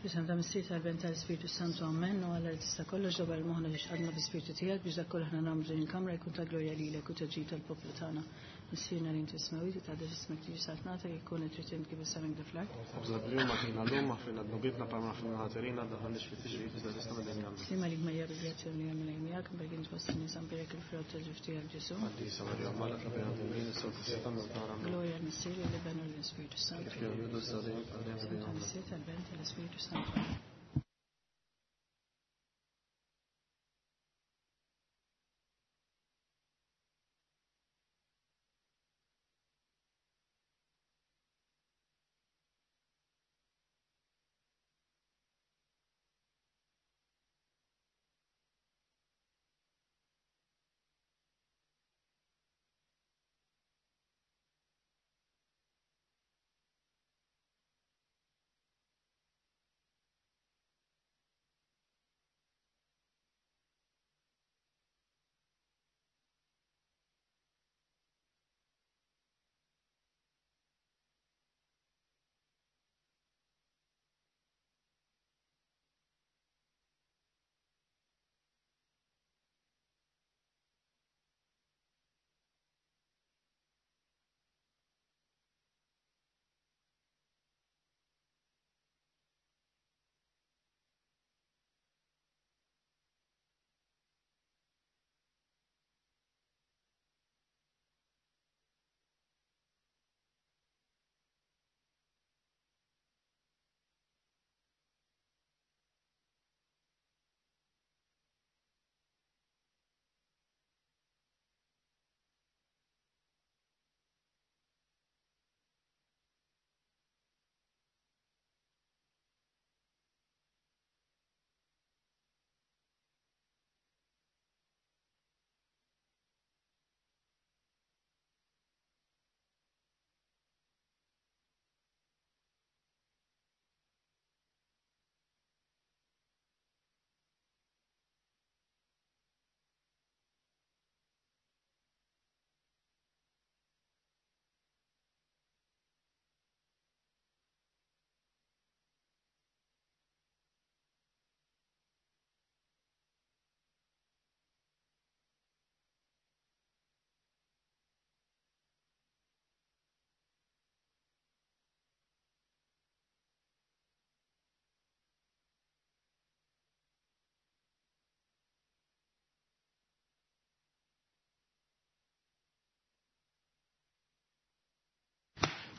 F'isem ta' Missier tal-Ben tal-Ispirtu Santu Amen u Alla li tista' kollox dabar moħħna biex għadna bi-Spirtu tiegħek biex dak kollu aħna nagħmlu din il-kamra jkun ta' glorja lilek u ta' ġid tal-poplu tagħna. Missierna li inti smawit tgħaddi ismek tiġi saltnatek ikun it-trid int kif is-sema kif fl-art. Ħobżna bl-jum għatina l-lum maħfirna dnubitna palma nafilna ħaterina daħalniex fit-tiġrib iżda tista' minn għandu. Sima lik Marija bil-grazzja li għamil miegħek berk int fost in-nisa mbierek il-frott tal-ġuf tiegħek Ġesu. Qaddisa Marija Malla tlabina din is-sewt is-setan nagħna. Glorja l-Missier l-Iben u l-Ispirtu Santu. Kif kien bidu s-sadin għal-dejjem Tal-Missier tal-Ben tal-Ispirtu Santu.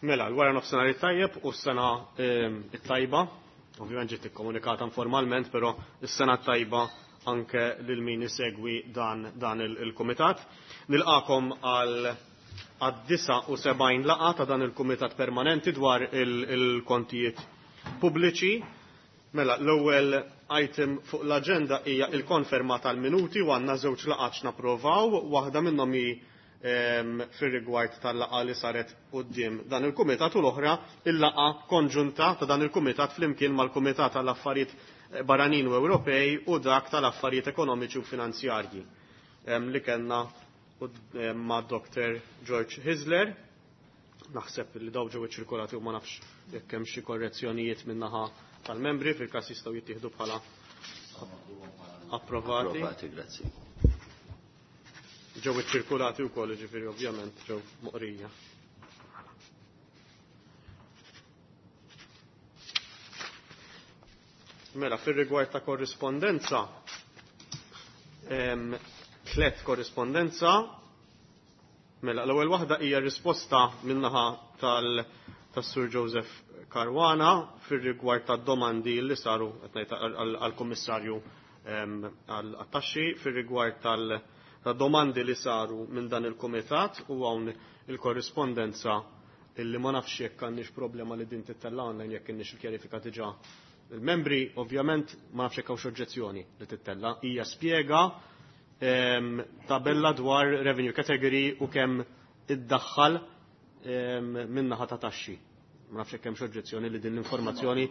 Mela, l-wara nofsinhar it-tajjeb u s-sena it-tajba, ovvjament ġiet ikkomunikata informalment, però s-sena tajba anke lil min isegwi dan, dan il-kumitat. Nilqakom għal għad-79 laqa ta' dan il-kumitat permanenti dwar il-kontijiet pubbliċi. Mela, l-ewwel item fuq l-aġenda hija il-konferma tal-minuti u għandna żewġ laqgħat napprovaw, waħda minnhom hi fir-rigward tal-laqgħa li saret quddiem dan il-kumitat u l-oħra il-laqgħa konġunta ta' dan il-kumitat flimkien mal-Kumitat tal-Affarijiet Barranin u Ewropej u dak tal-Affarijiet Ekonomiċi u Finanzjarji li kellna ma' Dr. George Hisler. Naħseb li daw ġew iċċirkolati u ma nafx jekk hemm xi korrezzjonijiet min-naħa tal-membri fil-każ jistgħu jittieħdu bħala approvati. Approvati, grazzi. Ġew iċċirkulati wkoll, ġifieri ovvjament ġew moqrija. Mela, fir-rigward ta' korrispondenza, tlet korrispondenza, mela, l-ewwel waħda hija risposta min-naħa tas-Sur Joseph Caruana fir-rigward tad domandi li saru qed ngħid għall-Kummissarju għat-taxxi fir-rigward tal- ta' domandi li saru minn dan il-kumitat u hawn il-korrispondenza illi ma nafx jekk għandniex problema li din tittella online jekk inniex il-kjarifika diġà. Il-membri ovvjament ma nafx jekk hawnx oġġezzjoni li tittella. Hija spjega tabella dwar revenue category u kemm iddaħħal min-naħa ta' taxxi. Ma nafx jekk hemmx oġġezzjoni li din l-informazzjoni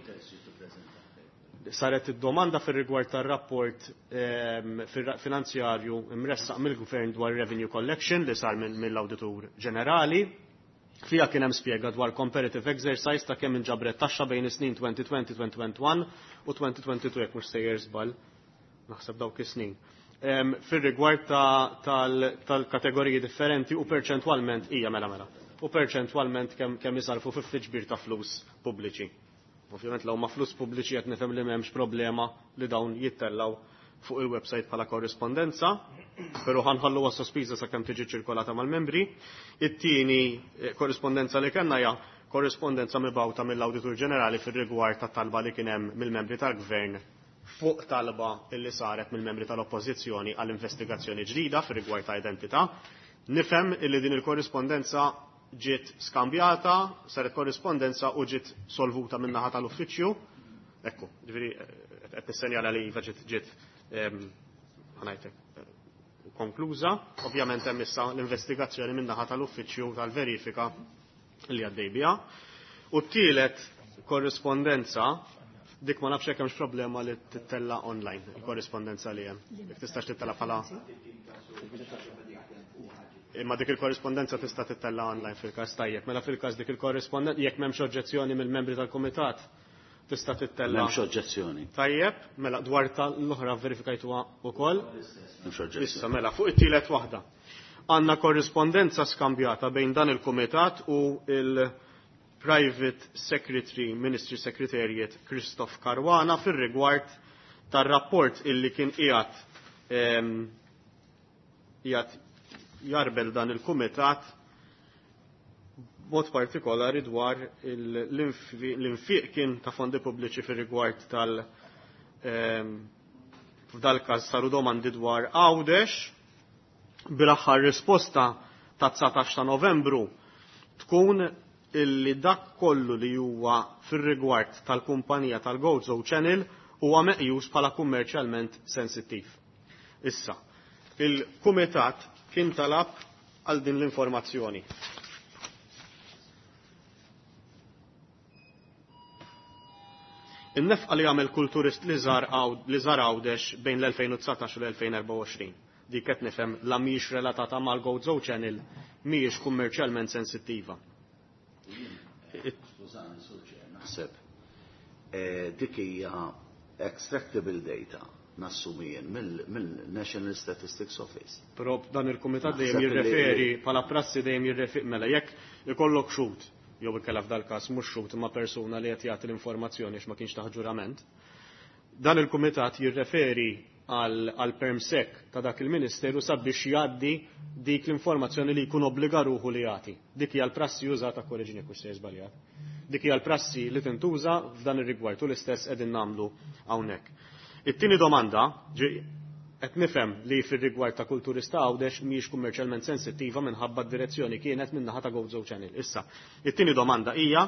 saret id-domanda fir-rigward tar-rapport finanzjarju imressaq mill-Gvern dwar revenue collection li sar mill-Awditur Ġenerali. Fiha kien hemm spjega dwar comparative exercise ta' kemm inġabret taxxa bejn is-snin 2020, 2021 u 2022 jekk mhux sejjer żball. Naħseb dawk is-snin. Fir-rigward tal-kategoriji differenti u perċentwalment hija mela mela. U perċentwalment kemm isarfu fi ġbir ta' flus pubbliċi. Ovvjament law ma' flus pubbliċi qed nifhem li m'hemmx problema li dawn jittellaw fuq il-website bħala korrispondenza, però ħanħalluha sospiża sakemm tiġi ċirkolata mal-membri. It-tieni korrispondenza li kellna hija korrispondenza mibgħuta mill-Awditur Ġenerali fir-rigward ta' talba li kien hemm mill-membri tal-Gvern fuq talba illi saret mill-membri tal-Oppożizzjoni għall investigazzjoni ġdida fir-rigward ta' identità. Nifhem illi din il-korrispondenza ġiet skambjata, saret korrispondenza u ġiet solvuta min-naħa tal-uffiċċju. Ekku, ġifieri qed nissenjala li iva ġiet ġiet ħanajtek konkluża. Ovvjament hemm issa l-investigazzjoni min-naħa tal-uffiċċju tal-verifika li għaddej biha. U t-tielet korrispondenza dik ma nafx hekk hemmx problema li tittella online il-korrispondenza li hemm. Jekk tistax tittella bħala Imma dik il-korrispondenza tista' tittella online fil-każ tajjeb. Mela fil-każ dik il-korrispondenza jekk m'hemmx oġġezzjoni mill-membri tal-kumitat tista' tittella. M'hemmx oġġezzjoni. Tajjeb, mela dwar tal-oħra verifikajtuha wkoll. M'hemmx oġġezzjoni. Issa mela fuq it-tielet waħda. Għandna korrispondenza skambjata bejn dan il-kumitat u il-Private Secretary Ministry Secretariat Christoph Caruana fir-rigward tar-rapport illi kien qiegħed qiegħed jarbel dan il-kumitat mod partikolari dwar l-infiq kien ta' fondi pubbliċi fir-rigward tal- f'dal-każ saru domandi dwar Għawdex bil-aħħar risposta ta' 19 ta' Novembru tkun illi dak kollu li huwa fir-rigward tal-kumpanija tal-Gozo Channel huwa meqjus bħala kummerċjalment sensittiv. Issa, il-kumitat kien talab għal din l-informazzjoni. In-nefqa li għamel kull turist li żar Għawdex bejn l-2019 u l-2024. Dik qed nifhem la mhijiex relatata mal-Gozo Channel, mhijiex kummerċjalment sensittiva. Skużani, Sur Chair, naħseb dik hija extractable data nassumi jien mill-National Statistics Office. Però dan il-kumitat dejjem jirreferi bħala prassi dejjem jirreferi mela jekk ikollok xhud jew ikella f'dal każ mhux xhud imma persuna li qed jagħti l-informazzjoni għax ma kienx taħt ġurament. Dan il-kumitat jirreferi għal permsek ta' dak il-ministeru sabiex jgħaddi dik l-informazzjoni li jkun obbliga ruħu li jagħti. Dik hija l-prassi użata korreġini jekk se żbaljat. Dik hija l-prassi li tintuża f'dan ir-rigward u l-istess qegħdin nagħmlu hawnhekk. It-tieni domanda qed nifhem li fir-rigward ta' kull turista Għawdex mhijiex kummerċjalment sensittiva minħabba d-direzzjoni kienet min-naħa ta' Gozo Channel. Issa, it-tieni domanda hija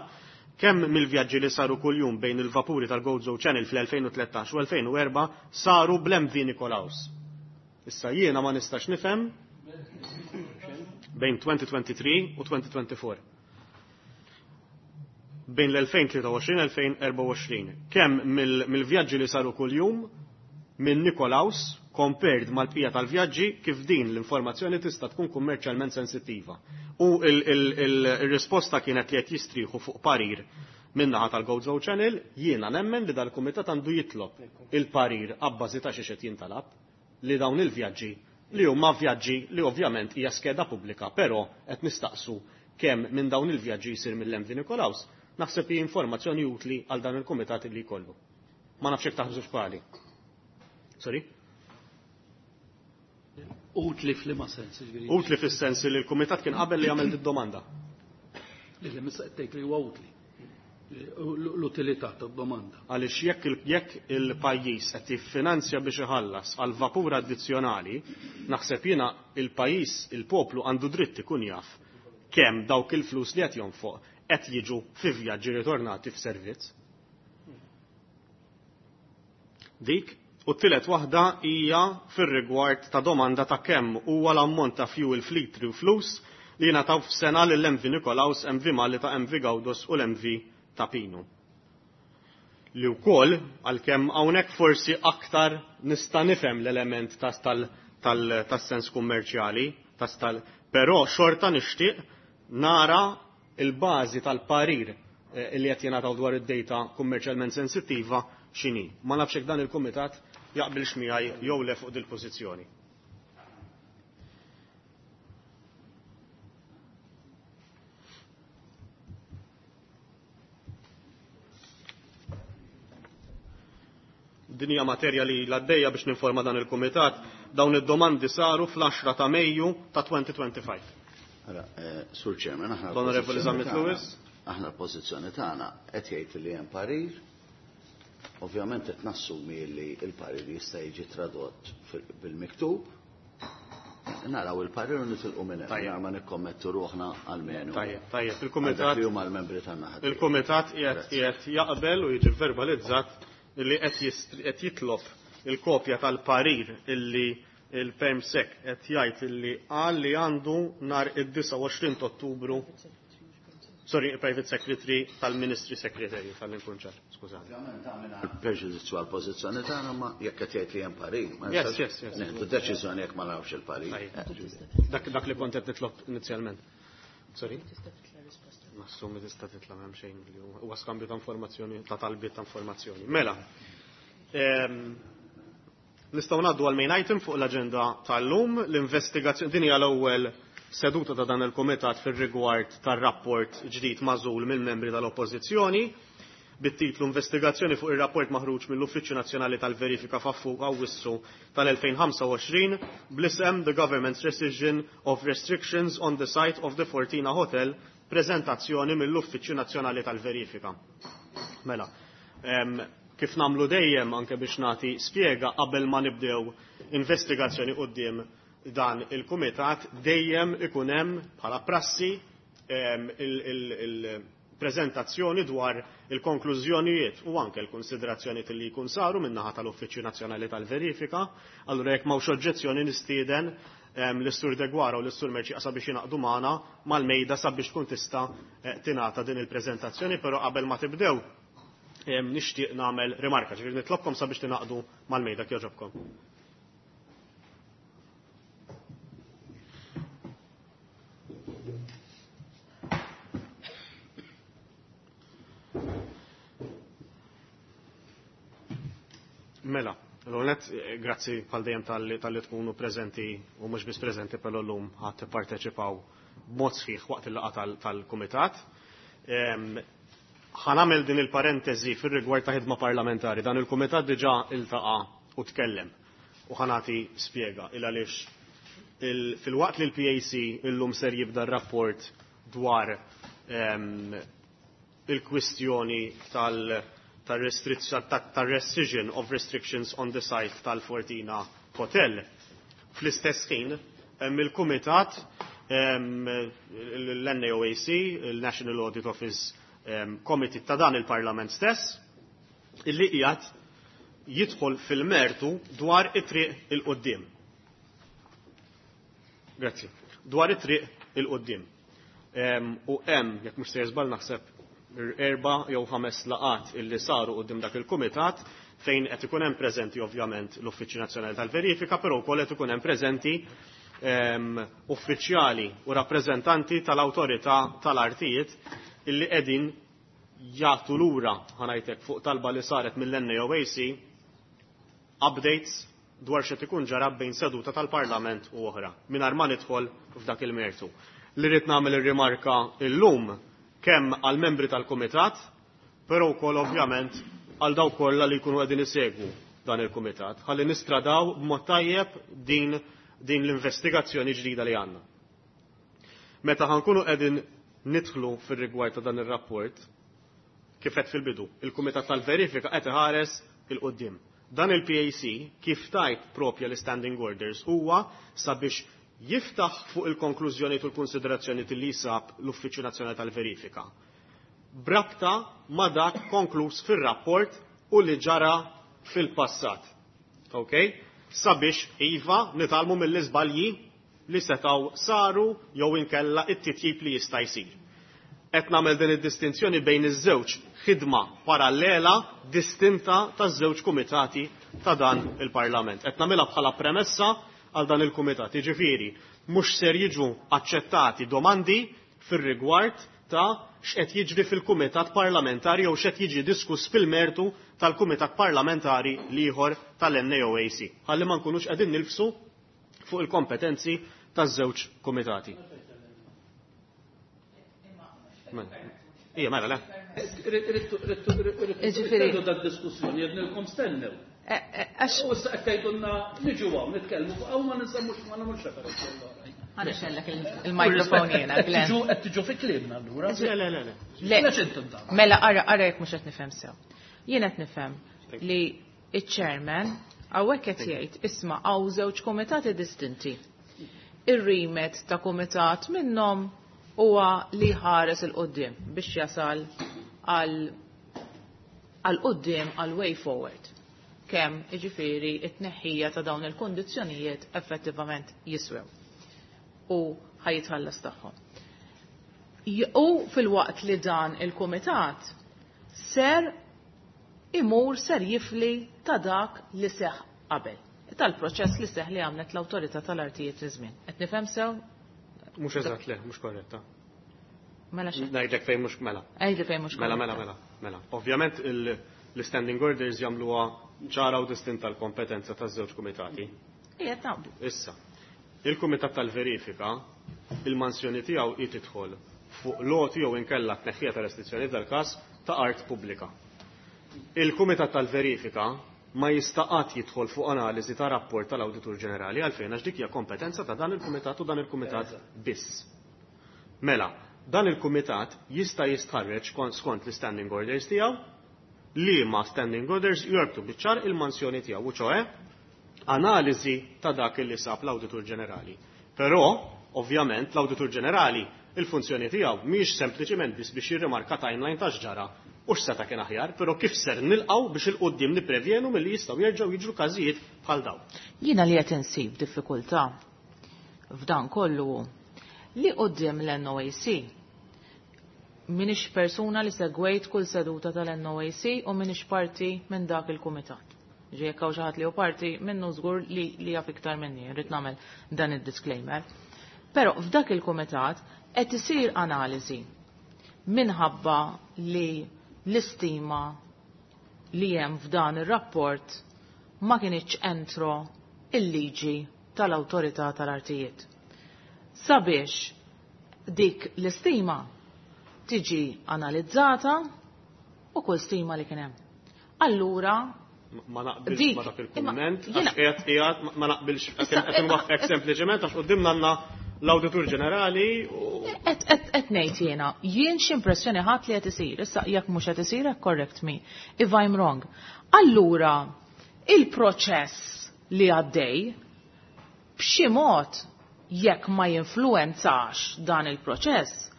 kemm mill-vjaġġi li saru kuljum bejn il-vapuri tal-Gozo Channel fl-2013 u 2004 saru bl-MV Nikolaus. Issa jiena ma nistax nifhem bejn 2023 u 2024. Bejn l-2023-2024. Kemm mill-vjaġġi li saru kuljum minn Nikolaus compared mal-bqija tal-vjaġġi kif din l-informazzjoni tista' tkun kummerċjalment sensittiva. U il-risposta kienet li qed jistrieħu fuq parir min-naħa tal-Gozo Channel, jiena nemmen li dal-kumitat għandu jitlob il-parir abbażi ta' xi qed jintalab li dawn il-vjaġġi li huma vjaġġi li ovvjament hija skeda pubblika, però qed nistaqsu kemm minn dawn il-vjaġġi jsir mill-MV Nikolaus, naħseb hi informazzjoni utli għal dan il-kumitat li jkollu. Ma nafx hekk taħsbu x'pali. Sorry? Utli f'liema sens, ġifieri. Utli fis-sens li l-kumitat kien qabel li għamel id-domanda. Li li missa qed tgħid li huwa utli. L-utilità tad-domanda. Għaliex jekk il-pajjiż qed jiffinanzja biex iħallas għal vapur addizzjonali, naħseb jiena il-pajjiż, il-poplu għandu dritt ikun jaf kemm dawk il-flus li qed jonfoq qed jiġu fi vjaġġi ritornati f'servizz. Dik, u t-tielet waħda hija fir-rigward ta' domanda ta' kemm huwa l-ammont ta' fuel fleet u flus li jingħataw f'sena lill-MV Nikolaus, MV Malta, MV Gaudos u l-MV Ta' Pinu. Li wkoll għalkemm hawnhekk forsi aktar nista' nifhem l-element tas-sens kummerċjali, però xorta nixtieq nara il-bażi tal-parir li qed jingħataw dwar id-data kummerċjalment sensittiva x'inhi. Ma nafx hekk dan il-kumitat jaqbilx miegħi jew le fuq dil-pożizzjoni. Din hija materja li l-għaddejja biex ninforma dan il-kumitat, dawn id-domandi saru fl-10 ta' Mejju ta' 2025. Ara, Sur Chairman, aħna L-Onorevoli Zammit Lewis. Aħna l-pożizzjoni tagħna qed jgħid li hemm parir. Ovvjament qed nassumi li l-parir jista' jiġi tradott bil-miktub. Naraw il-parir u nitilqu minn hemm ma nikkommettu ruħna għalmenu. Tajjeb, tajjeb, il-kumitat li huma l-membri tan-naħa. Il-kumitat qiegħed jaqbel u jiġi verbalizzat li qed jitlob il-kopja tal-parir illi il-PermSec qed jgħid illi qal li għandu nhar id-29 Ottubru. Sorry, Private Secretary tal-Ministry Secretary tal-inkunċar, skużani. Preġudizzju għal-pożizzjoni tagħna ma jekk qed jgħid li hemm parir. Yes, yes, yes. Nieħdu deċiżjoni jekk ma nafx il-parir. Dak li kont qed nitlob inizjalment. Sorry? Nassumi tista' titla' m'hemm xejn li huwa skambju ta' informazzjoni, ta' talbiet ta' informazzjoni. Mela, nistgħu ngħaddu għal main item fuq l-aġenda tal-lum, l-investigazzjoni din hija l-ewwel seduta ta' dan il-komitat fir-rigward tar-rapport ġdid magħżul mill-membri tal-Oppożizzjoni bit-titlu Investigazzjoni fuq ir-rapport maħruġ mill-Uffiċċju Nazzjonali tal-Verifika f'Awwissu tal-2025 bl-isem The Government's Rescission of Restrictions on the Site of the Fortina Hotel, prezentazzjoni mill-Uffiċċju Nazzjonali tal-Verifika. Mela, kif namlu dejjem anke biex nagħti spjega qabel ma nibdew investigazzjoni quddiem dan il-kumitat dejjem ikun hemm bħala prassi il-preżentazzjoni dwar il-konklużjonijiet u anke l-konsiderazzjonijiet li jkun saru min-naħa tal-Uffiċċju Nazzjonali tal-Verifika. Allura jekk m'hawnx oġġezzjoni nistieden l-Sur Degwara u l-Sur Merċi sabiex jingħaqdu magħna mal-mejda sabiex tkun tista' tingħata din il-preżentazzjoni, però qabel ma tibdew nixtieq nagħmel rimarka, ġifieri nitlobkom sabiex tingħaqdu mal-mejda kjoġobkom. Mela, l-għonet, grazzi bħal dejjem tal-li tkunu preżenti u mhux biss preżenti però llum ħadd tipparteċipaw b'mod sħiħ waqt il-laqgħa tal-kumitat. Ħanamel din il-parentesi fir-rigward ta' ħidma parlamentari. Dan il-kumitat diġà iltaqa' u tkellem u ħanati spjega il għaliex fil-waqt li l-PAC illum ser jibda r-rapport dwar il-kwistjoni tal-rescission of restrictions on the site tal-Fortina Hotel. Fl-istess ħin, hemm il-Kumitat l-NAOAC, il-National Audit Office Committee ta' dan il-Parlament stess, illi qiegħed jidħol fil-mertu dwar it-triq il-qoddim. Grazzi. Dwar it-triq il-qoddim. U hemm, jekk mhux se żball naħseb 4 jew 5 laqat illi saru qudiem dak il-kumitat fejn qed ikun hemm preżenti ovvjament l-Uffiċċju Nazzjonali tal-Verifika, però wkoll qed ikun hemm preżenti uffiċjali u rappreżentanti tal-awtorità tal-artijiet illi qegħdin jagħtu lura ħanajtek fuq talba li saret mill-NAOAC updates dwar xi ikun ġara bejn seduta tal-Parlament u oħra, mingħajr ma nidħol f'dak il-mertu. Li rrid nagħmel ir-rimarka illum kemm għal-membri tal-Kumitat, però wkoll ovvjament għal dawk kollha li jkunu qegħdin isegwu dan il-Kumitat, ħalli nistradaw b'mod tajjeb din l-investigazzjoni ġdida li għandna. Meta ħankunu qegħdin nidħlu fir-rigward ta' dan ir-rapport, kif qed fil-bidu, il-Kumitat tal-Verifika qed iħares il-qudiem. Dan il-PAC kif tajt propja l-Standing Orders huwa sabiex jiftaħ fuq il-konklużjoni u l-konsiderazzjoni li sab l-Uffiċċju Nazzjonali tal-Verifika. Brabta ma dak konkluż fir-rapport u li ġara fil-passat. Ok? Sabiex iva nitalmu mill-iżbalji li setaw saru jew inkella it-titjib li jista' jsir. Qed nagħmel din id-distinzjoni bejn iż-żewġ ħidma parallela distinta taż-żewġ kumitati ta' dan il-Parlament. Qed nagħmilha bħala premessa għal dan il-kumitat. Jiġifieri, mhux ser jiġu aċċettati domandi fir-rigward ta' x'qed jiġri fil-Kumitat Parlamentari jew x'qed jiġi diskuss fil-mertu tal-Kumitat Parlamentari l-ieħor tal-NAOAC. Ħalli ma nkunux qegħdin nilfsu fuq il-kompetenzi taż-żewġ kumitati. Ija, mela, le. Ġifieri. dak diskussjoni jednilkom stennew. Għax. U issa qed tgħidulna niġu hawn nitkellmu fuq hawn ma ninsemmux ma nagħmlux referenza għall-oħrajn. Ħa nixgħellek il-mikrofon jiena, Glenn. Qed tiġu fi kliemna allura. Le, le, le, le. Le. Għax intom dan. Mela, ara, ara jekk mhux qed nifhem sew. Jien qed nifhem li iċ-chairman hawnhekk qed jgħid isma' hawn żewġ kumitati distinti. Ir-remit ta' kumitat minnhom huwa li ħares 'il quddiem biex jasal għal għal quddiem għal way forward. Kemm iġifieri it-tneħħija ta' dawn il-kondizzjonijiet effettivament jiswew u ħa jitħallas tagħhom. U fil-waqt li dan il-kumitat ser imur ser jifli ta' dak li seħ qabel. Tal-proċess li seħ li għamlet l-awtorità tal-artijiet fi żmien. Qed nifhem sew? Mhux eżatt le, mhux korretta. Mela xejn. Ngħidlek fejn mhux mela. Għidli fejn mhux Mela, korretta. mela, mela, mela. Ovvjament l-standing orders jagħmluha ċara u distinta l-kompetenza taż-żewġ kumitati. Ija naqblu. Issa, il-Kumitat tal-Verifika, il-mansjoni tiegħu hi tidħol fuq loti jew inkella tneħħija ta' restrizzjoni dal-każ ta' art pubblika. Il-Kumitat tal-Verifika ma jista' qatt jidħol fuq analiżi ta' rapport tal-Awditur Ġenerali għalfejn għax dik hija kompetenza ta' dan il-Kumitat u dan il-Kumitat biss. Mela, dan il-Kumitat jista' jistħarreġ skont l-standing orders tiegħu li ma standing orders jorbtu biċ-ċar il-mansjoni tiegħu, u ċoe analiżi ta' dak li sab l-Awditur Ġenerali. Però, ovvjament, l-Awditur Ġenerali il-funzjoni tiegħu mhijiex sempliċiment biss biex jirrimarka timeline ta' x'ġara u x'seta' kien aħjar, però kif ser nilqgħu biex 'il quddiem nipprevjenu milli jistgħu jerġgħu jiġru każijiet bħal dawn. Jiena li qed insib diffikultà f'dan kollu li quddiem l-NOAC minix persuna li segwejt kull seduta tal-NOAC u minix parti minn dak il-kumitat. Ġi jekk hawn xi ħadd li hu parti minnu żgur li jaf iktar minni, rrid nagħmel dan id-disclaimer. Però f'dak il-kumitat qed isir analiżi minħabba li l-istima li hemm f'dan ir-rapport ma kienx entro il-liġi tal-awtorità tal-artijiet. Sabiex dik l-istima tiġi analizzata u kull stima li kien hemm. Allura Ma naqbilx Dik, ma dak il-kumment, imma għax qiegħed qiegħed ma naqbilx Issa, qed inwaffqek sempliċement għax quddiemna għandna l-Awditur Ġenerali u qed ngħid jiena, jien x'impressjoni ħadd li qed isir, issa jekk mhux qed isir hekk correct me if I'm wrong. Allura il-proċess li għaddej b'xi mod jekk ma jinfluwenzax dan il-proċess,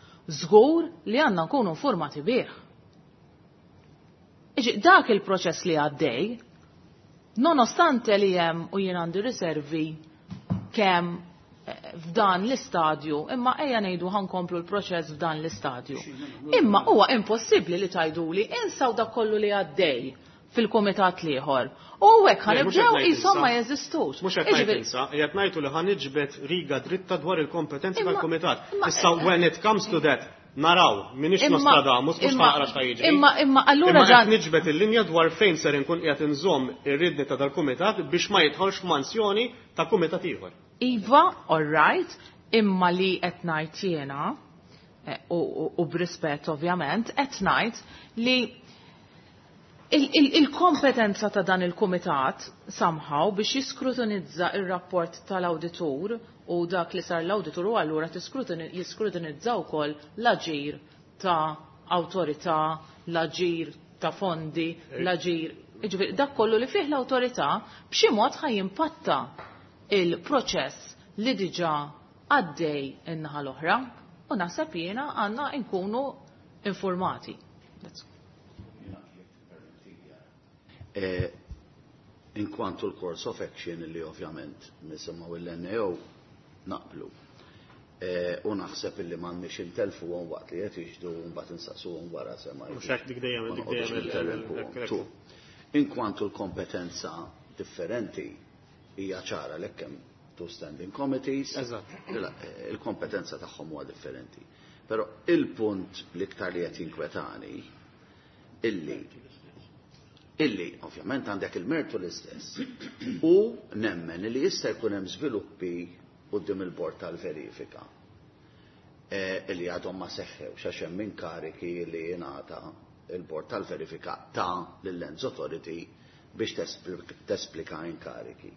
żgur li għandna nkunu informati bih. Iġi, dak il-proċess li għaddej, nonostante li hemm u jien għandi riservi kemm f'dan l-istadju, imma ejja ngħidu ħankomplu l-proċess f'dan l-istadju. Imma huwa impossibbli li tgħiduli insaw dak kollu li għaddej fil-kumitat l-ieħor. U hekk Le, mhux ħanibdew qed ngħid qishom insa. ma jeżistux. Mhux qed ngħid Jiġifieri- insa, qiegħed ngħidu li ħaniġbed riga dritta dwar il-kompetenzi Imma- tal-kumitat. imma- Issa when it comes to that, naraw, minix Imma- Nostradamus, mhux imma- ħaqra x'ta jiġri. Imma allura Imma qed dan niġbed il-linja dwar fejn ser inkun qiegħed inżomm ir-ridni ta' dal-kumitat biex ma jidħolx f'mansjoni ta' kumitat ieħor. Iva, all right, imma li qed ngħid jiena, u b'rispett ovvjament, qed ngħid li il-kompetenza ta' dan il-kumitat somehow biex jiskrutinizza il-rapport tal-awditur u dak li sar l-awditur u allura jiskrutinizza wkoll l-aġir ta' awtorità, l-aġir ta' fondi, l-aġir, jiġifieri dak kollu li fih l-awtorità b'xi mod ħa jimpatta il-proċess li diġà għaddej in-naħa l-oħra u naħseb jiena għandna nkunu informati. That's all. In kwantu l-course of action li ovvjament nisimgħu l-NAO naqblu. U naħseb illi m'għandniex intelfuhom waqt li qed jiġdu u mbagħad insaqsuhom wara sema. Mhux hekk dik dejjem, Ma dik noqogħdux dejjem ninterrompuhom. Tu. In kwantu l-kompetenza differenti hija ċara l hemm two standing committees. Eżatt. Il-kompetenza tagħhom huwa differenti. Però il-punt l-iktar li qed jinkwetani illi illi ovvjament għandek il-mertu l-istess u nemmen li jista' jkun hemm żviluppi quddiem il-bord tal-verifika illi għadhom ma seħħewx għax hemm inkariki li jingħata il-bord tal-verifika ta' lill-Lands Authority biex tesplika inkariki.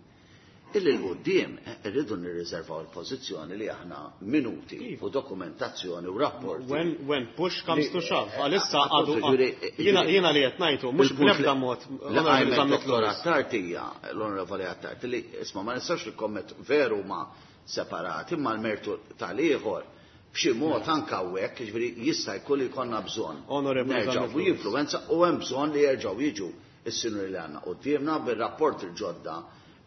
Illi l-qoddim irridu nirriservaw il-pożizzjoni li aħna minuti u dokumentazzjoni u rapporti. When push comes to shove, għalissa għadu jiena li qed ngħidu mhux bl-ebda mod. Dottor Attard hija l-Onorevoli Attard li isma' ma nistax nikkommet veru ma separati imma l-mertu tal-ieħor b'xi mod anke hawnhekk, jiġifieri jista' jkun li jkollna bżonn nerġgħu jinfluwenza u hemm bżonn li jerġgħu jiġu is-sinjuri li għandna quddiemna bir-rapport il-ġodda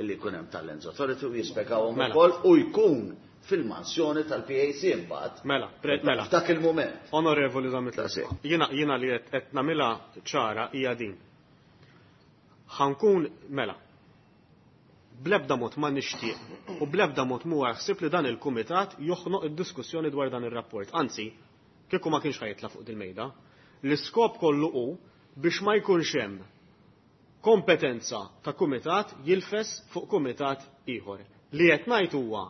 li jkun hemm tal-Lands Authority u jispjegawhom ukoll u jkun fil-mansjoni tal-PAC imbagħad. Mela, mela. F'dak il-mument. Onorevoli Zammit, jiena li qed nagħmilha ċara hija din. Ħankun mela. Bl-ebda mod ma nixtieq u bl-ebda mod mhuwa ħsieb li dan il-kumitat joħnoq id-diskussjoni dwar dan ir-rapport. Anzi, kieku ma kienx ħajtla fuq dil-mejda. L-iskop kollu hu biex ma jkunx hemm kompetenza ta' kumitat jilfes fuq kumitat ieħor. Li qed ngħid huwa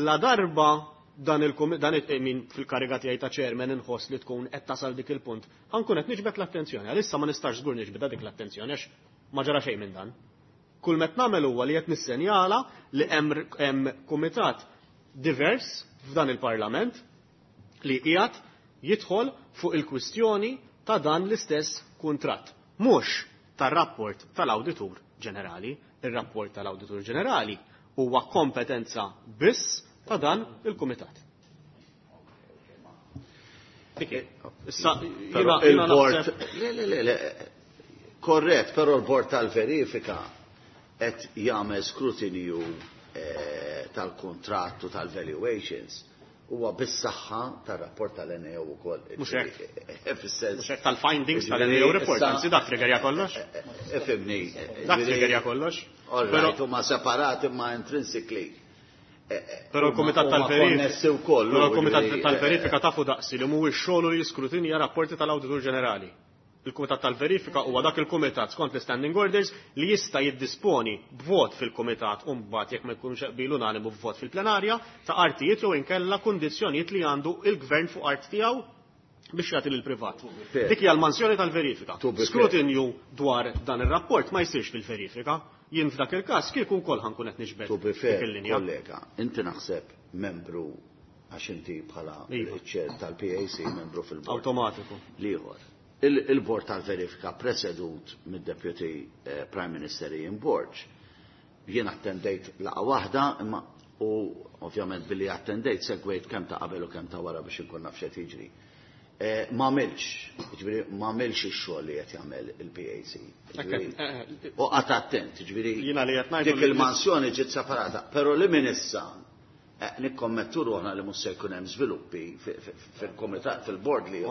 la darba dan il-kumitat min fil-kariga tiegħi ta' chairman inħoss li tkun qed tasal dik il-punt, ħankun qed niġbed l-attenzjoni. Għalissa ma nistax żgur niġbed dik l-attenzjoni għax ma ġara xejn minn dan. Kull met nagħmel huwa li qed nissenjala li hemm kumitat divers f'dan il-Parlament li qiegħed jidħol fuq il-kwistjoni ta' dan l-istess kuntratt. Mhux tar-rapport tal-Awditur Ġenerali. Ir-rapport tal-Awditur Ġenerali huwa kompetenza biss ta' dan il-kumitat. Issa, il-bord. Le, le, le, korrett, però l-bord tal-verifika qed jagħmel skrutinju tal-kontrattu tal-valuations huwa bis-saħħa tar-rapport tal-NAO wkoll. Mhux hekk. Mhux hekk tal-findings tal-NAO report, anzi dak triggerja kollox. Ifhimni. Dak triggerja kollox. All huma separati ma intrinsically. Però l-Kumitat tal-Verifika. Però l-Kumitat tal-Verifika tafu daqsi li mhuwiex xogħlu li jiskrutinja rapporti tal-Awditur Ġenerali. Il-Kumitat tal-Verifika huwa dak il-Kumitat skont l-Standing Orders li jista' jiddisponi b'vot fil-Kumitat u mbagħad jekk ma jkunx qbil unanimu b'vot fil-plenarja ta' artijiet jew inkella kundizzjonijiet li għandu il-gvern fuq art tiegħu biex jagħti lill-privat. Dik hija l-mansjoni tal-verifika. Skrutinju dwar dan ir-rapport ma jsirx fil-verifika. Jien f'dak il-każ kieku wkoll ħankun qed niġbed dik il-linja. Kollega, inti naħseb membru għax inti bħala chair tal-PAC membru fil-bord. Awtomatiku. L-ieħor. Il-bord tal-verifika presedut mid-Deputy Prime Minister Ian Borg. Jien attendejt laqgħa waħda imma u ovvjament billi attendejt segwejt kemm ta' qabel u kemm ta' wara biex inkun naf x'qed jiġri. Ma għamilx, jiġifieri ma għamilx ix-xogħol li qed jagħmel il-PAC. U qatt attent, jiġifieri dik il-mansjoni ġiet separata, però li minn issa nikkommettu ruħna li mhux se jkun hemm żviluppi fil-kumitat fil-bord li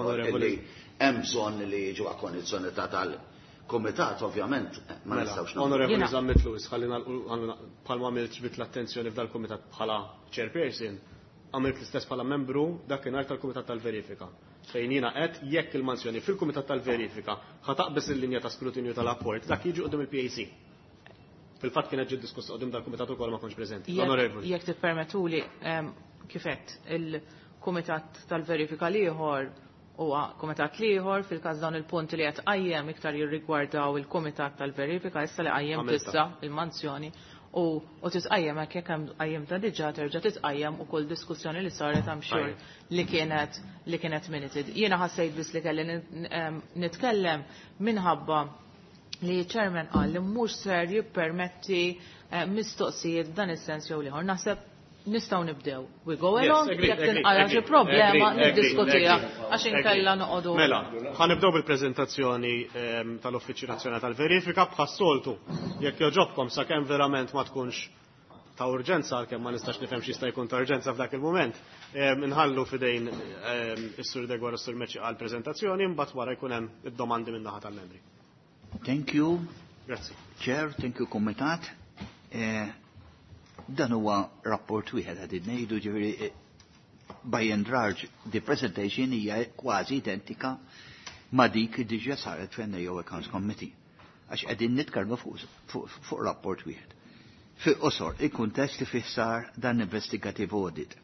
hemm bżonn li jiġu akkondizzjonata tal-kumitat ovvjament ma nistgħux nagħmlu. Onorevoli Zammit Lewis, ħalli bħalma għamilt ġbit l-attenzjoni f'dal-kumitat bħala chairperson, għamilt l-istess bħala membru dakinhar tal-Kumitat tal-Verifika. Fejn jiena qed jekk il-mansjoni fil-Kumitat tal-Verifika ħa taqbeż il-linja ta' skrutinju tal-apport, dak jiġi quddiem il-PAC. Fil-fatt kienet ġiet diskussa quddiem dal-kumitat ukoll ma kontx preżenti. Onorevoli. Jekk tippermettuli kif għedt il-Kumitat tal-Verifika l-ieħor huwa kumitat l-ieħor fil-każ dawn il-punti li qed qajjem iktar jirrigwardaw il-Kumitat tal-Verifika issa li qajjem tissa il-mansjoni u titqajjem hekk jekk hemm qajjimta diġà terġa' titqajjem ukoll diskussjoni li saret I'm sure li kienet minuted. Jiena ħassejt biss li kelli nitkellem minħabba li chairman qal li mhux ser jippermetti mistoqsijiet f'dan is-sens jew l-ieħor. Naħseb nistgħu nibdew. We go along, jekk tinqala xi problema niddiskutiha għax inkella noqogħdu. Mela, ħa nibdew bil-preżentazzjoni tal-Uffiċċju Nazzjonali tal-Verifika bħas-soltu. Jekk joġobkom sakemm verament ma tkunx ta' urġenza, għalkemm ma nistax nifhem x'jista' jkun ta' urġenza f'dak il-mument, inħallu f'idejn is-Sur Degwar u s-Sur Meċi għall-preżentazzjoni, mbagħad wara jkun hemm id-domandi min-naħa tal-membri. Thank you. Grazzi. Chair, thank you Kumitat. Dan huwa rapport wieħed qed ngħidu ġifieri By and large, the presentation hija kważi identika ma dik li diġà saret fl-NAO Accounts Committee. Għax qegħdin nitkellmu fuq rapport wieħed. Fil-qosor, il-kuntest li fih sar dan investigative audit.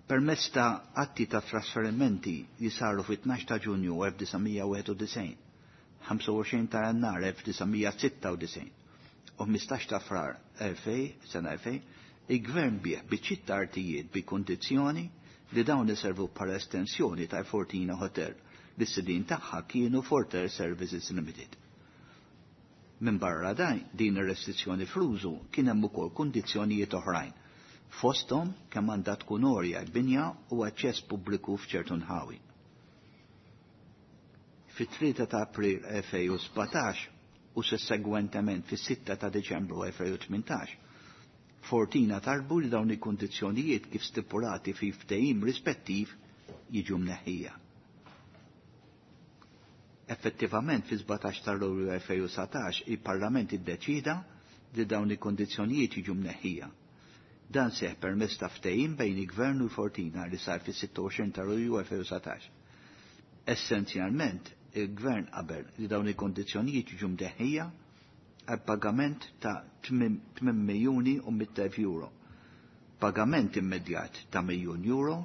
Permezz ta' atti ta' trasferimenti li saru fit-12 ta' Ġunju 1991, 25 ta' Jannar 1996 u 15 ta' Frar 2000, sena 2000, il-gvern biegħ biċċiet ta' artijiet bi kondizzjoni li dawn iservu bħala estensjoni ta' Fortina Hotel li s-sidin tagħha kienu Forter Services Limited. Minn barra dan din ir-restrizzjoni fl-użu kien hemm ukoll kundizzjonijiet oħrajn. Fosthom kemm għandha tkun għolja l-binja u aċċess pubbliku f'ċertu nħawi. Fit-3 ta' April 2017 u sussegwentement fis-6 ta' Deċembru 2018, Fortina talbu li dawn il-kundizzjonijiet kif stipulati fi ftehim rispettiv jiġu mneħħija. Effettivament fi 17 ta' Lulju 2019 il-Parlament iddeċida li dawn il-kondizzjonijiet jiġu mneħħija. Dan seħ permezz ta' ftehim bejn il-Gvern u Fortina li sar fis-26 ta' Lulju 2019. Essenzjalment, il-Gvern qabel li dawn il-kondizzjonijiet jiġu mneħħija għal pagament ta' 8 miljuni u 100,000 euro. Pagament immedjat ta' miljun euro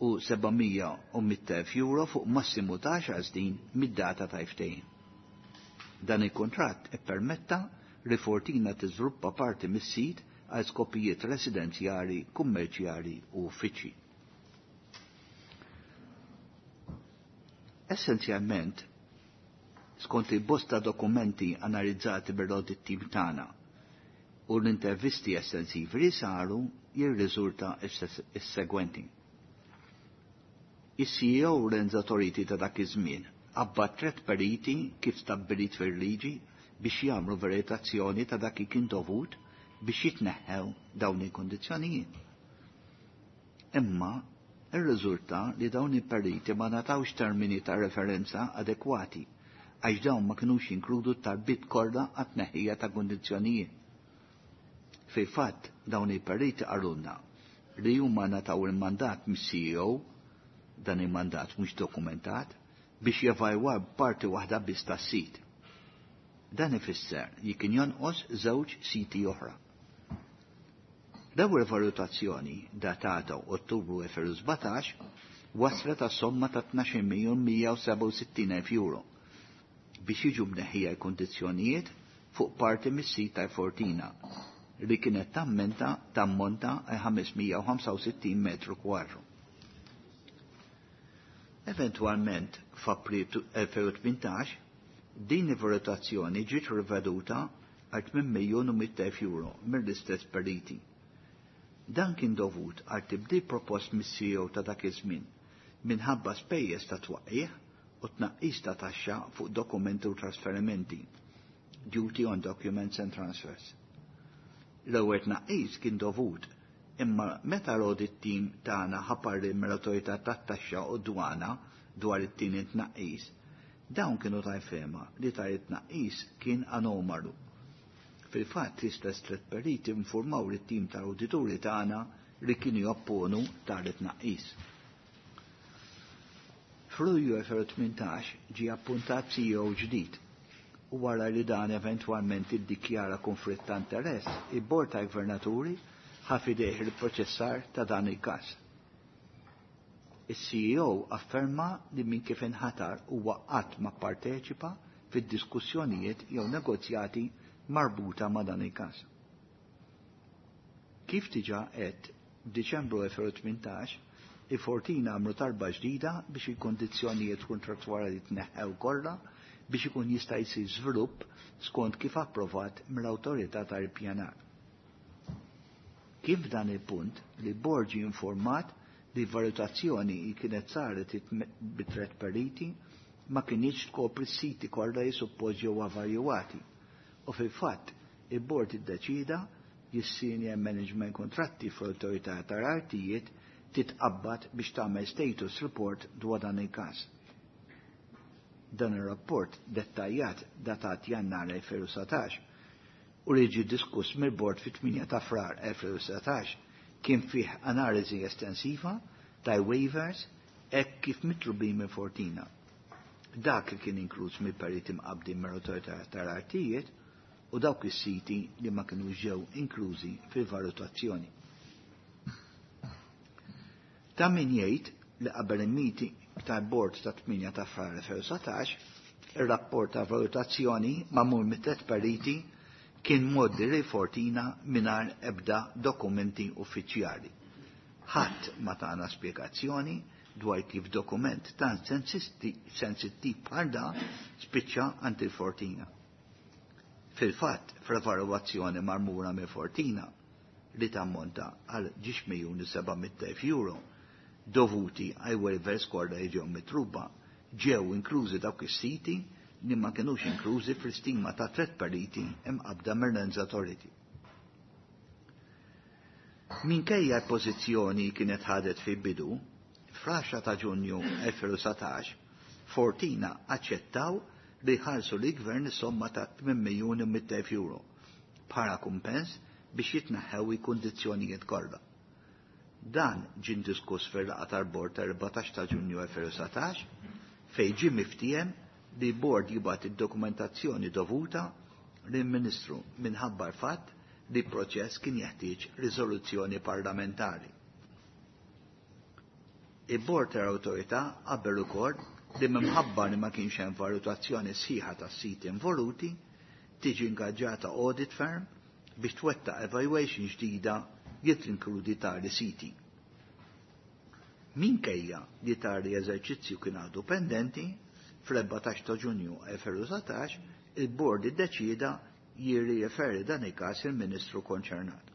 u 700,000 euro fuq massimu ta' 10 snin mid-data ta' ftehim. Dan il-kontratt ippermetta li Fortina tiżviluppa parti mis-sit għal skopijiet residenzjali, kummerċjali u uffiċċji. Essenzjalment, skont li bosta dokumenti analizzati bil-audit team tagħna u l-intervisti estensivi li saru jirriżulta is-segwenti. Is-CEO Renzo Toriti ta' dak iż-żmien qabbat tret periti kif stabbilit fil-liġi biex jagħmlu veritazzjoni ta' dak li kien dovut biex jitneħħew dawn il-kondizzjonijiet. Imma irriżulta li dawn il-periti ma ngħatawx termini ta' referenza adekwati għax dawn ma kinux jinkludu talbiet kollha għat-tneħħija ta' kondizzjonijiet. Fil-fatt dawn il-periti qalulna li huma ngħataw il-mandat mis-CEO, dan il-mandat mhux dokumentat, biex jevalwaw parti waħda biss tas-sit. Dan ifisser li kien jonqos żewġ siti oħra. L-ewwel valutazzjoni datata Ottubru 2017 waslet għas somma ta' 12.167.000 euro biex jiġu mneħħija l-kondizzjonijiet fuq parti mis-sit ta' Fortina li kienet tammenta tammonta 565 metru kwadru. Eventwalment f'April 2018 din il-valutazzjoni ġiet riveduta għal 8.100.000 euro mill-istess periti. Dan kien dovut għal tibdil propost mis-CEO ta' dak iż-żmien minħabba spejjeż ta' twaqqih u tnaqqis ta' taxxa fuq dokumenti u trasferimenti, duty on documents and transfers. L-ewwel tnaqqis kien dovut imma meta l-audit team tagħna ħa parir mill-awtorità tat-taxxa u dwana dwar it-tieni tnaqqis, dawn kienu tal-fehma li tali tnaqqis kien anomalu. Fil-fatt l-istess tliet periti informaw lit-tim tal-awdituri tagħna li kienu jopponu tali tnaqqis. F'Lulju 2018 ġie appuntat CEO ġdid u wara li dan eventwalment iddikjara konflitt ta' interess, il-Bord ta' Gvernaturi ħa f'idejh il-proċessar ta' dan il-każ. Is-CEO afferma li minn kif inħatar huwa qatt ma pparteċipa fid-diskussjonijiet jew negozjati marbuta ma' dan il-każ. Kif diġà għedt f'Diċembru 2018, il-Fortina għamlu talba ġdida biex il-kondizzjonijiet kontrattwali tneħħew kollha biex ikun jista' jsir żvilupp skont kif approvat mill-awtorità tal-ippjanar. Kif f'dan il-punt li bord ġie informat li valutazzjoni li kienet saret bi tret periti ma kinitx tkopri s-siti kollha li suppost ġew evalwati. U fil-fatt il-bord iddeċida li s-senior management kontratti fl-awtorità tal-artijiet titqabbad biex tagħmel status report dwar dan il-każ. Dan ir-rapport dettaljat datat Jannar 2019 u li ġie diskuss mill-bord fit-8 ta' Frar 2019. Kien fih analiżi estensiva ta' waivers hekk kif mitlubin minn Fortina. Dak li kien inkluż mill-periti mqabbdin mill-Awtorità tal-Artijiet u dawk is-siti li ma kinux ġew inklużi fil-valutazzjoni. Ta' min jgħid li qabel il-meeting tal-bord ta' 8 ta' Frar 2017, ir-rapport ta' valutazzjoni magħmul mit-tliet periti kien mgħoddi lil Fortina mingħajr ebda dokumenti uffiċjali. Ħadd ma tana spjegazzjoni dwar kif dokument tant sensittiv bħal dan spiċċa għand il-Fortina. Fil-fatt, fl-evalwazzjoni marmura minn Fortina li tammonta għal 2.700.000 euro dovuti għal waivers kollha li ġew mitluba, ġew inklużi dawk is-siti li ma kinux inklużi fl-istima ta' tliet periti imqabbda mir-Lands Authority. Minkejja l-pożizzjoni kienet ħadet fi bidu, fl-10 ta' Ġunju 2019, Fortina aċċettaw li jħallsu lill-gvern is-somma ta' 8.100.000 euro bħala kumpens biex jitneħħew il-kundizzjonijiet kollha. Dan ġie diskuss fil-laqgħa tal-bord ta' 14 ta' Ġunju 2019 fejn ġie miftiehem li bord jibgħat id-dokumentazzjoni dovuta lill-Ministru minħabba l-fatt li proċess kien jeħtieġ riżoluzzjoni parlamentari. Il-bord tal-awtorità qabel ukoll li minħabba li ma kienx hemm valutazzjoni sħiħa tas-siti involuti, tiġi ingaġġata audit firm biex twettaq evaluation ġdida li tinkludi tali siti. Minkejja li tali eżerċizzju kien għadu pendenti, fl-14 ta' Ġunju 2019 il-bord iddeċida jirriferi dan il-każ il-Ministru konċernat.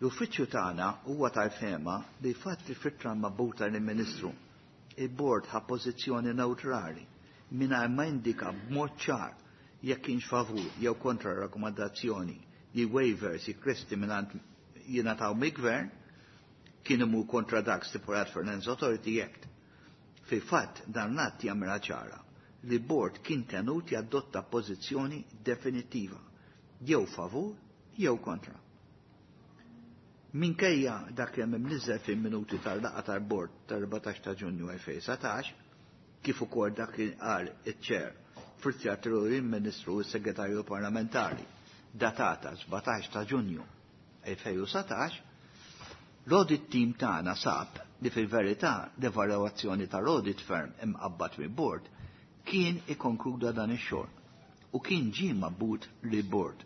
L-uffiċċju tagħna huwa tal-fehma li fatt li f'ittra mibgħuta lill-Ministru il-bord ħa pożizzjoni neutrali mingħajr ma indika b'mod ċar jekk kienx favur jew kontra rakkomandazzjoni li waivers rikjesti mingħand jingħataw mill-gvern kien imur kontra dak stipulat fil-Lands Authority Act. Fil-fatt dan l-att jagħmilha ċara li bord kien tenut jadotta pożizzjoni definitiva jew favur jew kontra. Minkejja dak li hemm imniżżel fil-minuti tal-laqgħa tal-bord tal-14 ta' Ġunju 2019, kif ukoll dak li qal iċ-chair fl-ittra il-Ministru u s-Segretarju Parlamentari datata 17 ta' Ġunju 2019, l-audit team tagħna sab li fil-verità l-evalwazzjoni tal-audit firm imqabbad mill-bord kien ikkonkluda dan ix-xogħol u kien ġie mibgħut lill-bord.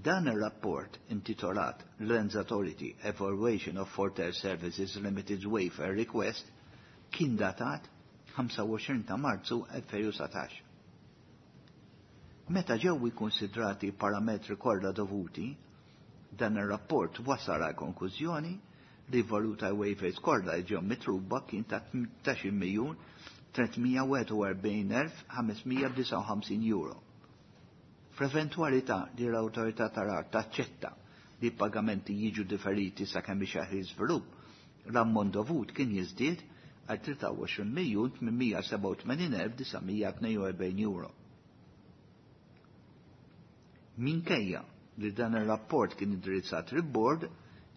Dan ir-rapport intitolat Lands Authority Evaluation of Fortel Services Limited Waiver Request kien datat 25 ta' Marzu 2019. Meta ġew ikkonsidrati parametri kollha dovuti, dan ir-rapport wasal għal konklużjoni li valur ta' waivers kollha li ġew mitluba kien ta' 18 miljun 341.559 euro. Fl-eventualità li l-awtorità tal-art taċċetta li pagamenti jiġu differiti sakemm iseħħ iżvilupp, l-ammont dovut kien jiżdied għal 23 miljun 887.942 euro. Minkejja li dan ir-rapport kien indirizzat il-board,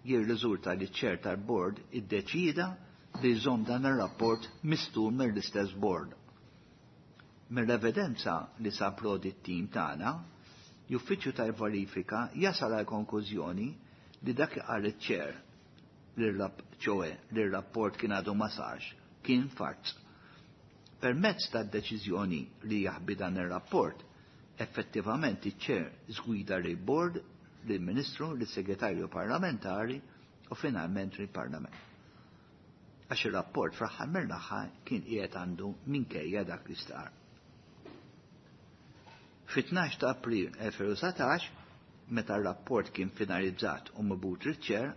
jirriżulta li ċ-chair tal-board iddeċida li jżomm dan ir-rapport mistur mill-istess board. Mill-evidenza li sab l-audit team tagħna, l-uffiċċju tal-verifika jasal għal konklużjoni li dak li qal iċ-chair ċoè li r-rapport kien għadu ma sarx kien farz. Permezz tad-deċiżjoni li jaħbi dan ir-rapport, effettivament iċ-chair żgwida lill-board, lill-Ministru, lis-Segretarju Parlamentari u finalment lill-Parlament. Għax ir-rapport fl-aħħar mill-aħħar kien qiegħed għandu minkejja dak li stqarr. Fit-12 ta' April 2019, meta r-rapport kien finalizzat u mibgħut liċ-chair,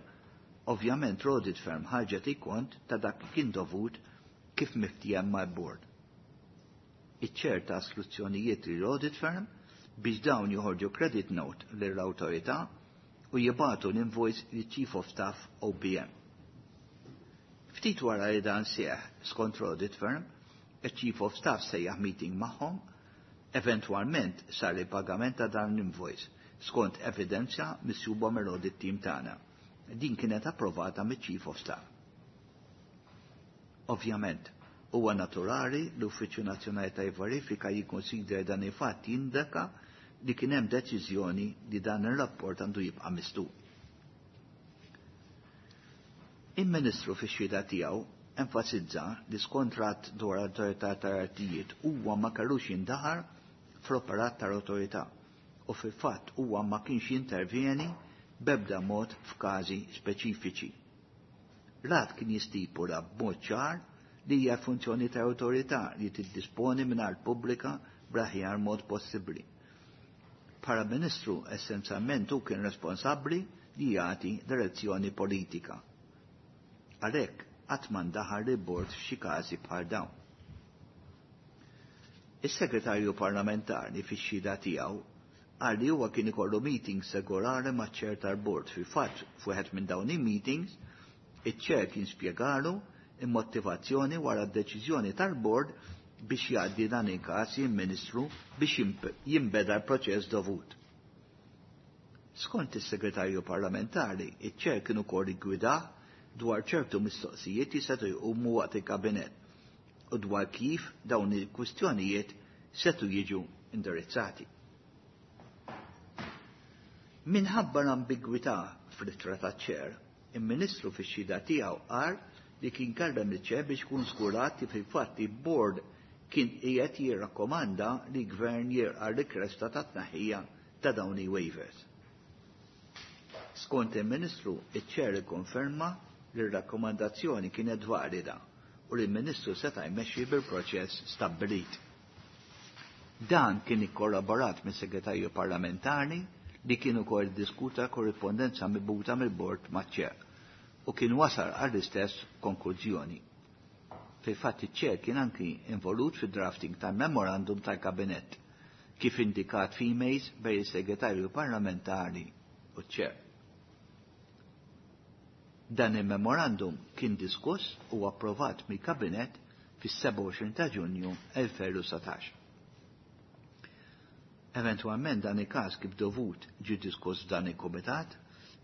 ovvjament l-audit firm ħarġet ikont ta' dak li kien dovut kif miftiehem mal-board. Iċ-chair ta istruzzjonijiet l-audit firm biex dawn joħorġu credit note lill-awtorità u jibagħtu l-invoice li Chief of Staff OPM. Ftit wara li dan seħ skont audit firm, il-Chief of Staff sejjaħ meeting magħhom, eventwalment sar il-pagament ta' dan l-invoice. Skont evidenza misjuba mill-audit team tagħna. Din kienet approvata miċ-Chief of Staff. Ovvjament, huwa naturali l-Uffiċċju Nazzjonali ta' Verifika jikkonsidra dan il-fatt jindika li kien hemm deċiżjoni li dan ir-rapport għandu jibqa' mistu. Il-Ministru fix-xhieda tiegħu enfasizza li skont rat dwar l-Awtorità tal-Artijiet huwa ma kellux jindaħar fl-operat tal-awtorità u fil-fatt huwa ma kienx jintervjeni b'ebda mod f'każi speċifiċi. Rat kien jistipula b'mod ċar li hija funzjoni ta' awtorità li tiddisponi minn art pubblika bl-aħjar mod possibbli. Bħala Ministru essenzjalment hu kien responsabbli li jagħti direzzjoni politika. Għalhekk qatt ma ndaħal li bord f'xi każi bħal dawn. Is-segretarju parlamentari fix-xhieda tiegħu qal li huwa kien ikollu meetings regolari maċ-chair tal-bord. Fil-fatt f'wieħed minn dawn il-meetings, iċ-chair kien spjegalu il-motivazzjoni wara d-deċiżjoni tal-bord biex jgħaddi dan il-każ il-Ministru biex jinbeda l-proċess dovut. Skont is-segretarju parlamentari, iċ-chair kien ukoll iggwidah dwar ċertu mistoqsijiet li setgħu jqumu waqt il-kabinett u dwar kif dawn il-kwistjonijiet setgħu jiġu indirizzati. Minħabba l-ambigwità fl-ittra taċ-chair, il-Ministru fix-xhieda tiegħu qal li kien kellem il-chair biex kun żgurat li fil-fatt il-board kien qiegħed jirrakkomanda li gvern jirqa' rikwesta ta' tnaħħija ta' dawn i-waivers. Skont il-Ministru, iċ-chair ikkonferma li r-rakkomandazzjoni kienet valida u li l-Ministru seta' jmexxi bil-proċess stabbilit. Dan kien ikkollaborat mis-Segretarju Parlamentari li kien ukoll diskuta korrispondenza mibgħuta mill-bord maċ-chair u kien wasal għall-istess konklużjoni. Fil-fatt iċ-chair kien anki involut fid-drafting tal-memorandum tal-kabinett kif indikat f'emails bejn is-segretarju parlamentari u ċ-chair. Dan il-memorandum kien diskuss u approvat mill-kabinett fis-27 ta' Ġunju 2019. Eventualment dan il-każ kif dovut ġie diskuss f'dan il-kumitat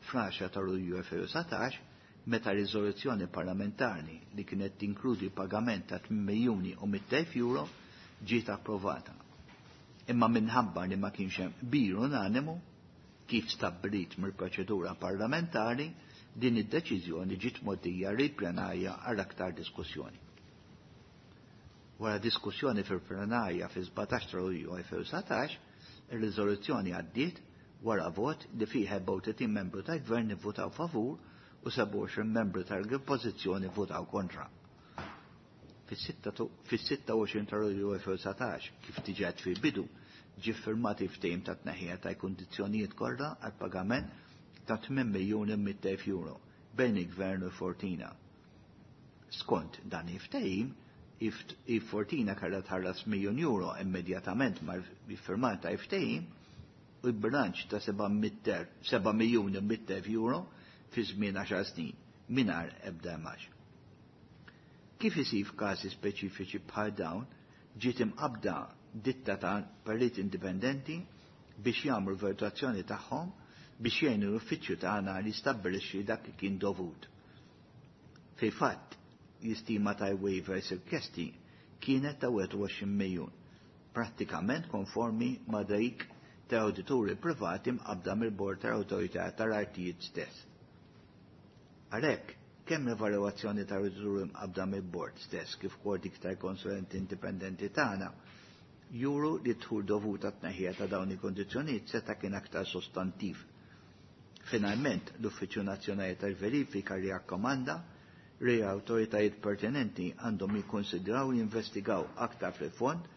fl-10 ta' Lulju 2019 meta riżoluzzjoni parlamentari li kienet tinkludi pagament ta' 8 miljuni u 100,000 euro ġiet approvata. Imma minħabba li ma kienx hemm qbil unanimu kif stabbilit mill-proċedura parlamentari, din id-deċiżjoni ġiet mgħoddija lil-plenarja għal aktar diskussjoni. Wara diskussjoni fil-plenarja fi-17 ta' Lulju 2019, ir-riżoluzzjoni għaddiet wara vot li fih 34 membru tal-gvern ivvutaw favur u 27 membru tal-oppożizzjoni votaw kontra. Fis-26 ta' Lulju 2019, kif diġà fil-bidu, ġie ffirmat il-ftehim ta' tneħħija ta' kundizzjonijiet kollha għal pagament ta' 8 miljuni 100,000 euro bejn il-Gvern u Fortina. Skont dan il-ftehim, il-Fortina kellha tħallas miljun euro immedjatament mal-firmata il-ftehim u l-bilanċ ta' 7 miljuni 100,000 euro fi żmien 10 snin mingħajr ebda imax. Kif isir f'każi speċifiċi bħal dawn, ġiet imqabda ditta ta' perit indipendenti biex jagħmlu valutazzjoni tagħhom biex jgħinu l-uffiċċju tagħna li stabbilixxi dak li kien dovut. Fil-fatt, l-istima ta' waivers rikjesti kienet ta' 21 miljun, prattikament konformi ma' dik ta' awdituri privati mqabda mill-Bord tal-Awtorità tal-Artijiet stess. Għalhekk, kemm l-evalwazzjoni ta' awdituri mqabda mill-bord stess kif ukoll dik tal-konsulenti indipendenti tagħna juru li dħul dovut għat-tneħħija ta' dawn il-kondizzjonijiet seta' kien aktar sostantiv. Finalment, l-Uffiċċju Nazzjonali tal-Verifika rrakkomanda li awtoritajiet pertinenti għandhom jikkonsidraw jinvestigaw aktar fil-fond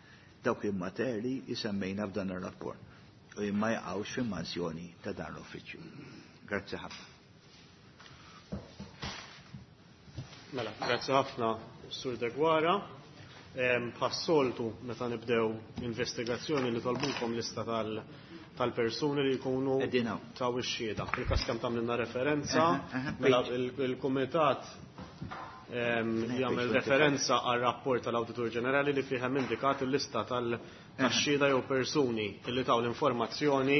dawk il-materji li semmejna f'dan ir-rapport u ma jaqgħux fil-mansjoni ta' dan l-uffiċċju. Grazzi ħafna. Mela, grazzi ħafna Sur Deguara. Bħas-soltu meta nibdew investigazzjoni li talbukom lista tal-persuni li jkunu taw ix-xhieda. Fil-każ kemm tagħmlilna referenza, mela il-kumitat Jagħmel referenza għal rapport tal-Awditur Ġenerali li fih hemm indikat il-lista tal-xhieda jew persuni li taw l-informazzjoni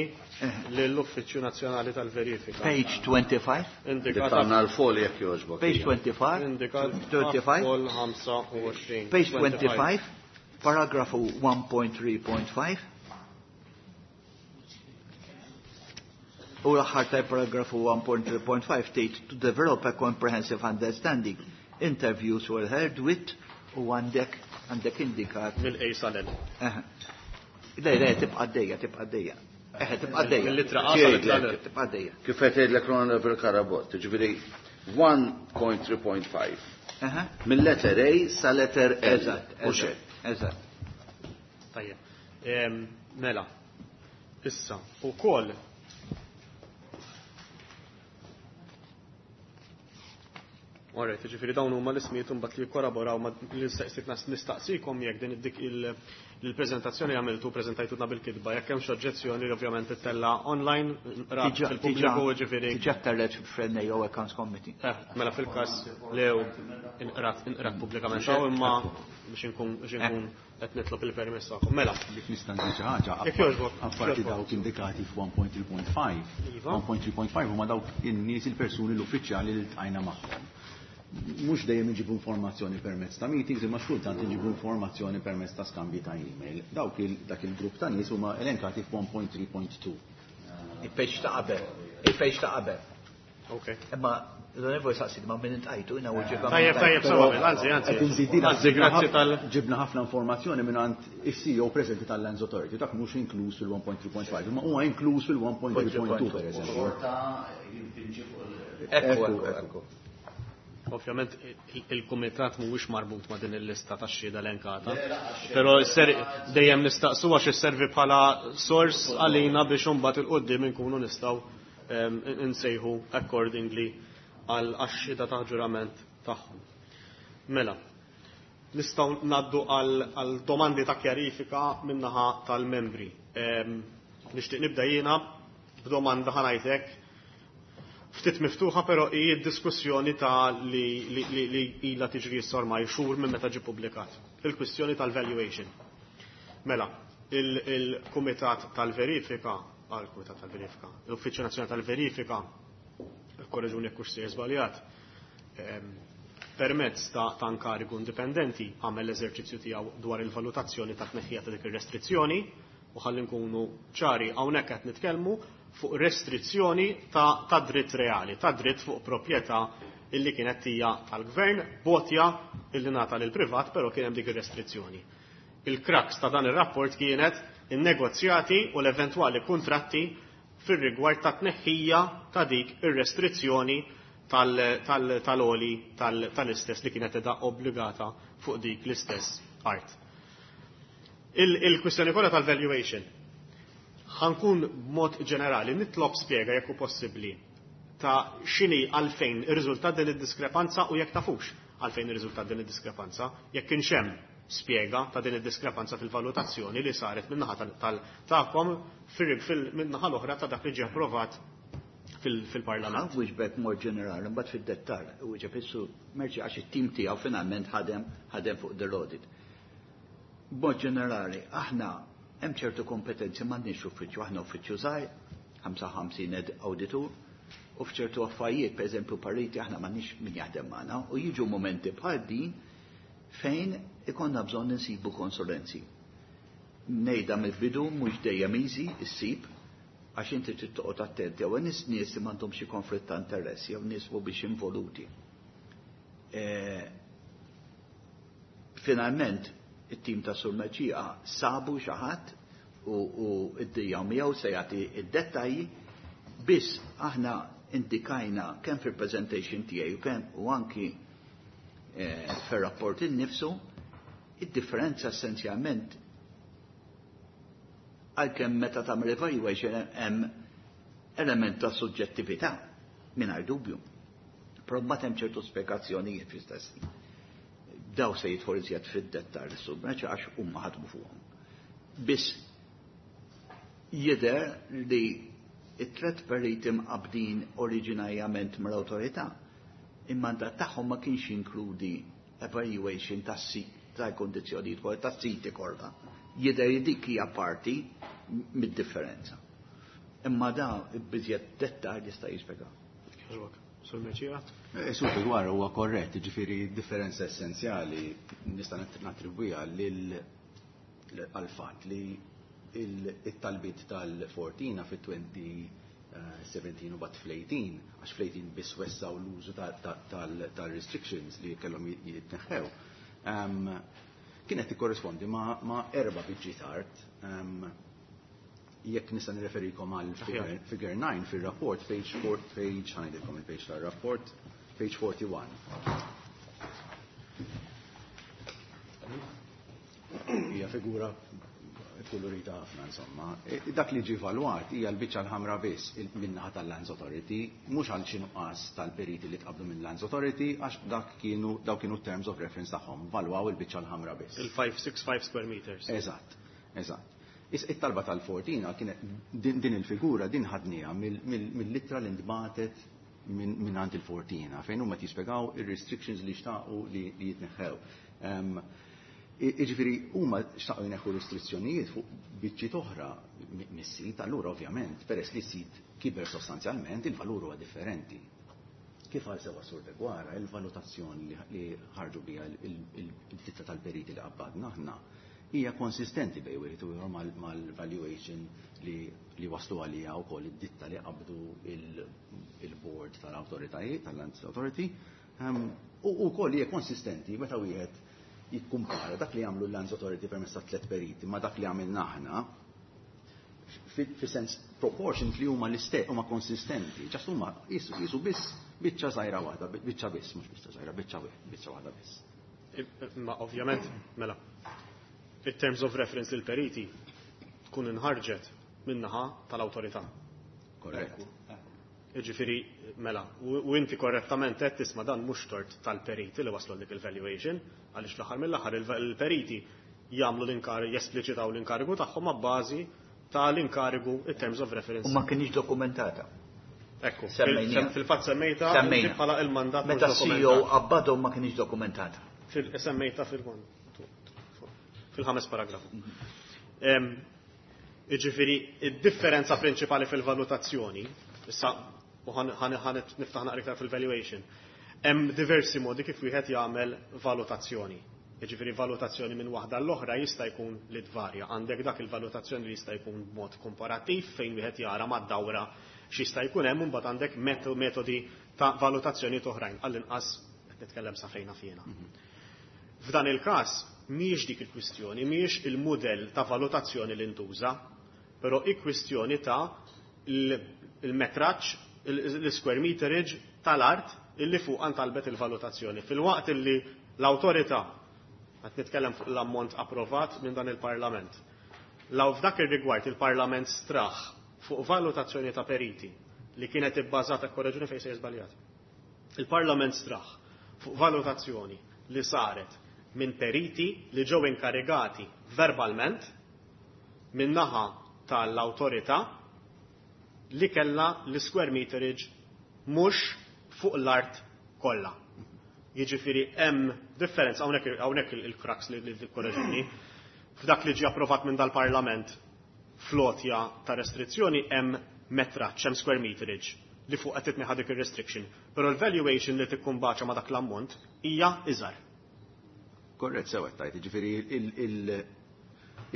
lill-Uffiċċju Nazzjonali tal-Verifika. Page 25. Indikat Tagħna l-folja jekk jogħġbok. Page 25. Indikat 25. fol 25. Page 25, paragrafu 1.3.5. U l-aħħar ta' paragrafu 1.3.5 tgħid to develop a comprehensive understanding. Interviews were held with u għandek għandek indikat. Mill-A sal-L. Eħe. Le, le, tibqa' għaddejja, tibqa' għaddejja. Eħe, tibqa' għaddejja. Mill-ittra A sal-ittra L. Tibqa' għaddejja. Kif qed jgħidlek l-Onorevole Carabott, ġifieri 1.3.5. Eħe. Mill-letter A sa letter L. Eżatt, U eżatt, xejn. eżatt. Tajjeb. Mela, issa, u koll Alright, ġifiri dawn huma l-ismijiet imbagħad li jikkoraboraw ma li nistaqsikom jekk din dik il-preżentazzjoni għamiltu preżentajtuna bil-kitba, jekk hemm xi oġġezzjoni li ovvjament ittella online rat fil-pubbliku ġifieri. Diġà tellet fl-NAO Accounts Committee. Mela fil-każ lew inqrat inqrat pubblikament hawn imma biex inkun biex inkun qed nitlob il-permess tagħkom. Mela, Jekk nista' ngħid xi ħaġa, Jekk jogħġbok, apparti jogħġbok. dawk indikati f'1.3.5. Iva. 1.3.5 huma dawk in-nies il-persuni l-uffiċjali li ltqajna magħhom. Mhux dejjem inġibu informazzjoni permezz ta' meetings, imma xkultant inġibu informazzjoni permezz ta' skambji ta' email. Dawk il dak il-grupp ta' nies huma elenkati f'1.3.2. Il-page ta' qabel. Il-page ta' qabel. ok. Imma l-onorevoli saqsid ma' min intqajtu, jina u ġibba. Tajjeb, tajjeb, sewa, anzi, anzi. Qed inżid din Anzi, grazzi tal. Ġibna ħafna informazzjoni minn is-CEO preżenti tal-Lands Authority, dak mhux inkluż fil-1.3.5, imma huwa inkluż fil-1.3.2 per eżempju. Xorta jimpinġi fuq il- Ekku, ekku, ekku. Ovvjament il-kumitat mhuwiex marbut ma' din il-lista ta' xhieda elenkata. Però dejjem nistaqsu għax isservi bħala sors għalina biex imbagħad il-qudiem inkunu nistgħu insejħu accordingly għal għax-xhieda ta' ġurament tagħhom. Mela, nistgħu ngħaddu għal domandi ta' kjarifika min-naħa tal-membri. Nixtieq nibda jiena b'domanda ħa ngħidlek ftit miftuħa però hi d-diskussjoni ta' li, li, li, li ila tiġri issa ormai xhur minn meta ġie publikat. Il-kwistjoni tal-valuation. Mela, il-Kumitat tal-Verifika, għal-Kumitat tal-Verifika, l-Uffiċċju Nazzjonali tal-Verifika, korreġuni jekk hux sejjer żbaljat, permezz ta' inkarigu indipendenti għamel l-eżerċizzju tiegħu dwar il-valutazzjoni ta' tneħħija ta' dik ir-restrizzjoni u ħalli nkunu ċari hawnhekk qed nitkellmu fuq restrizzjoni ta' dritt reali, ta' dritt fuq proprjetà illi kienet hija tal-gvern, botja illi ngħata lil privat, però kien hemm dik ir-restrizzjoni. Il-crux ta' dan ir-rapport kienet in-negozjati u l-eventwali kuntratti fir-rigward ta' tneħħija ta' dik ir-restrizzjoni tal-oli tal-istess li kienet edha obbligata fuq dik l-istess art. Il-kwistjoni kollha tal-valuation. Ħa nkun b'mod ġenerali nitlob spjega jekk hu possibbli ta' x'inhi għalfejn irriżultat din id-diskrepanza u jekk tafux għalfejn irriżultat din id-diskrepanza, jekk kienx hemm spjega ta' din id-diskrepanza fil-valutazzjoni li saret min-naħa tagħkom min-naħa l-oħra ta' dak li ġie approvat fil-Parlament. Wieġbek mod ġenerali, mbagħad fid-dettall, wieġeb issu Mercieca għax it-tim tiegħu finalment ħadem fuq the audit. B'mod ġenerali, aħna hemm ċertu kompetenzi m'għandniex uffiċċju, aħna uffiċċju żgħir, 55 awditur, u f'ċertu affarijiet, pereżempju pariti, aħna m'għandniex min jaħdem magħna, u jiġu momenti bħal din fejn ikonna bżonn insibu konsulenzi. Ngħidha mill-bidu mhux dejjem easy issib, għax inti trid toqgħod attent jew nies nies li m'għandhomx xi konflitt ta' interess jew nies mhumiex involuti. Finalment, it-tim ta' Sur Mercieca sabu xi ħadd u id-dija miegħu se jagħti id-dettalji, biss aħna indikajna kemm fil-presentation tiegħi u kemm u anki fir-rapport innifsu id-differenza essenzjalment għalkemm meta tagħmel evaluation hemm element ta' suġġettività mingħajr dubju. Però mbagħad hemm ċertu spjegazzjonijiet fl-istess. Daw se jidħol iżjed fid-dettall is-Sur Mercieca għax huma ħadmu fuqhom. Biss jidher li it-tlet periti mqabdin oriġinarjament mill-awtorità Il-mandat tagħhom ma kienx jinkludi evaluation tas-sit tal-kondizzjonijiet kollha tas-siti kollha. Jidher li dik hija parti mid-differenza. Imma da biżjed dettal jista' jispjega. Jogħġbok. Sur Mercieca? Sur Figueroa huwa korrett, ġifieri differenza essenzjali nista' nattribwiha lil għal-fatt li il-talbiet tal-Fortina fit-2017 u bat fl-18, għax fl-18 biss wessaw l-użu tal-restrictions li kellhom jitneħħew. Kienet tikkorrispondi ma' erba' biċċiet art. Jekk nista' nirreferikom għal figure 9 fil-rapport, page 4, page, ħa ngħidilkom il-page tal-rapport, page 41. Hija figura kolorita ħafna insomma. Dak li ġie valwat hija l-biċċa l-ħamra biss min-naħa tal-Lands Authority, mhux għal xi nuqqas tal-periti li tqabdu minn Lands Authority, għax dak kienu daw kienu terms of reference tagħhom, valwaw il-biċċa l-ħamra biss. Il-565 square meters. Eżatt, eżatt. It-talba tal-Fortina kienet din il-figura din ħadniha mill-ittra li ntbagħtet minn għand il-Fortina fejn huma jispjegaw ir-restrictions li xtaqu li jitneħħew. Iġifieri huma xtaqu jneħħu restrizzjonijiet fuq biċċiet oħra mis-sit, allura ovvjament peress li s-sit kiber sostanzjalment il-valur huwa differenti. Kif għal sewa Sur Deguara, il-valutazzjoni li ħarġu biha il-ditta tal-periti li qabbadna aħna hija konsistenti bejn wieħed u ieħor mal-valuation li waslu għalija wkoll id-ditta li qabdu il-board tal-awtoritajiet, tal-Lands Authority, u wkoll hija konsistenti meta wieħed jikkumpara dak li għamlu l-Lands Authority permezz ta' tliet periti ma' dak li għamilna aħna fi sens proportion li huma l-istess huma konsistenti, just huma jisu biss biċċa żgħira waħda, biċċa biss, mhux biċċa żgħira, biċċa biċċa waħda biss. Ma ovvjament, mela, in terms of reference lil periti tkun inħarġet min-naħa tal-awtorità. Korrett. Ġifieri, mela, u inti korrettament qed tisma' dan mhux tort tal-periti li waslu dik il-valuation, għaliex fl-aħħar mill-aħħar il-periti jagħmlu l-inkarigu, jespliċitaw l-inkarigu tagħhom ma' bażi tal-inkarigu in terms of reference. U ma kienx dokumentata. Ekku, Semmejniha. fil-fatt semmejta Semmejna. bħala il-mandat mhux Meta CEO dokumentat. qabbadhom ma kienx dokumentata. Semmejta fil-ħames paragrafu. Iġifieri, id-differenza prinċipali fil-valutazzjoni, issa u ħan niftaħ naqra iktar fil-valuation, hemm diversi modi kif wieħed jagħmel valutazzjoni. Jiġifieri valutazzjoni minn waħda l-oħra jista' jkun li tvarja. Għandek dak il-valutazzjoni li jista' jkun b'mod komparattiv fejn wieħed jara mad-dawra x'jista' jkun hemm, u mbagħad għandek metodi ta' valutazzjoni oħrajn, għall-inqas qed nitkellem sa fejna fjena. F'dan il-każ mhijiex dik il-kwistjoni, mhijiex il-mudell ta' valutazzjoni li ntuża, però il-kwistjoni ta' il-metraġġ, l-square meterage tal-art illi fuq talbet il-valutazzjoni. Fil-waqt illi l-awtorità, qed nitkellem fuq l-ammont approvat minn dan il-Parlament, law f'dak ir-rigward il-Parlament straħ fuq valutazzjoni ta' periti li kienet ibbażata, korreġuni fejn se żbaljat. Il-Parlament straħ fuq valutazzjoni li saret minn periti li ġew inkarigati verbalment minn naħa tal-awtorità li kella l-square meterage mhux fuq l-art kollha. Jiġifieri hemm differenza hawnhekk il-crux li korreġuni. F'dak li ġie approvat minn dal-Parlament flotja ta' restrizzjoni hemm metraġġ, hemm square meterage li fuq qed titneħa dik ir-restriction. Però l-valuation li tikkumbaċa ma' dak l-ammont hija iżgħar. Korrett sew qed tajt, jiġifieri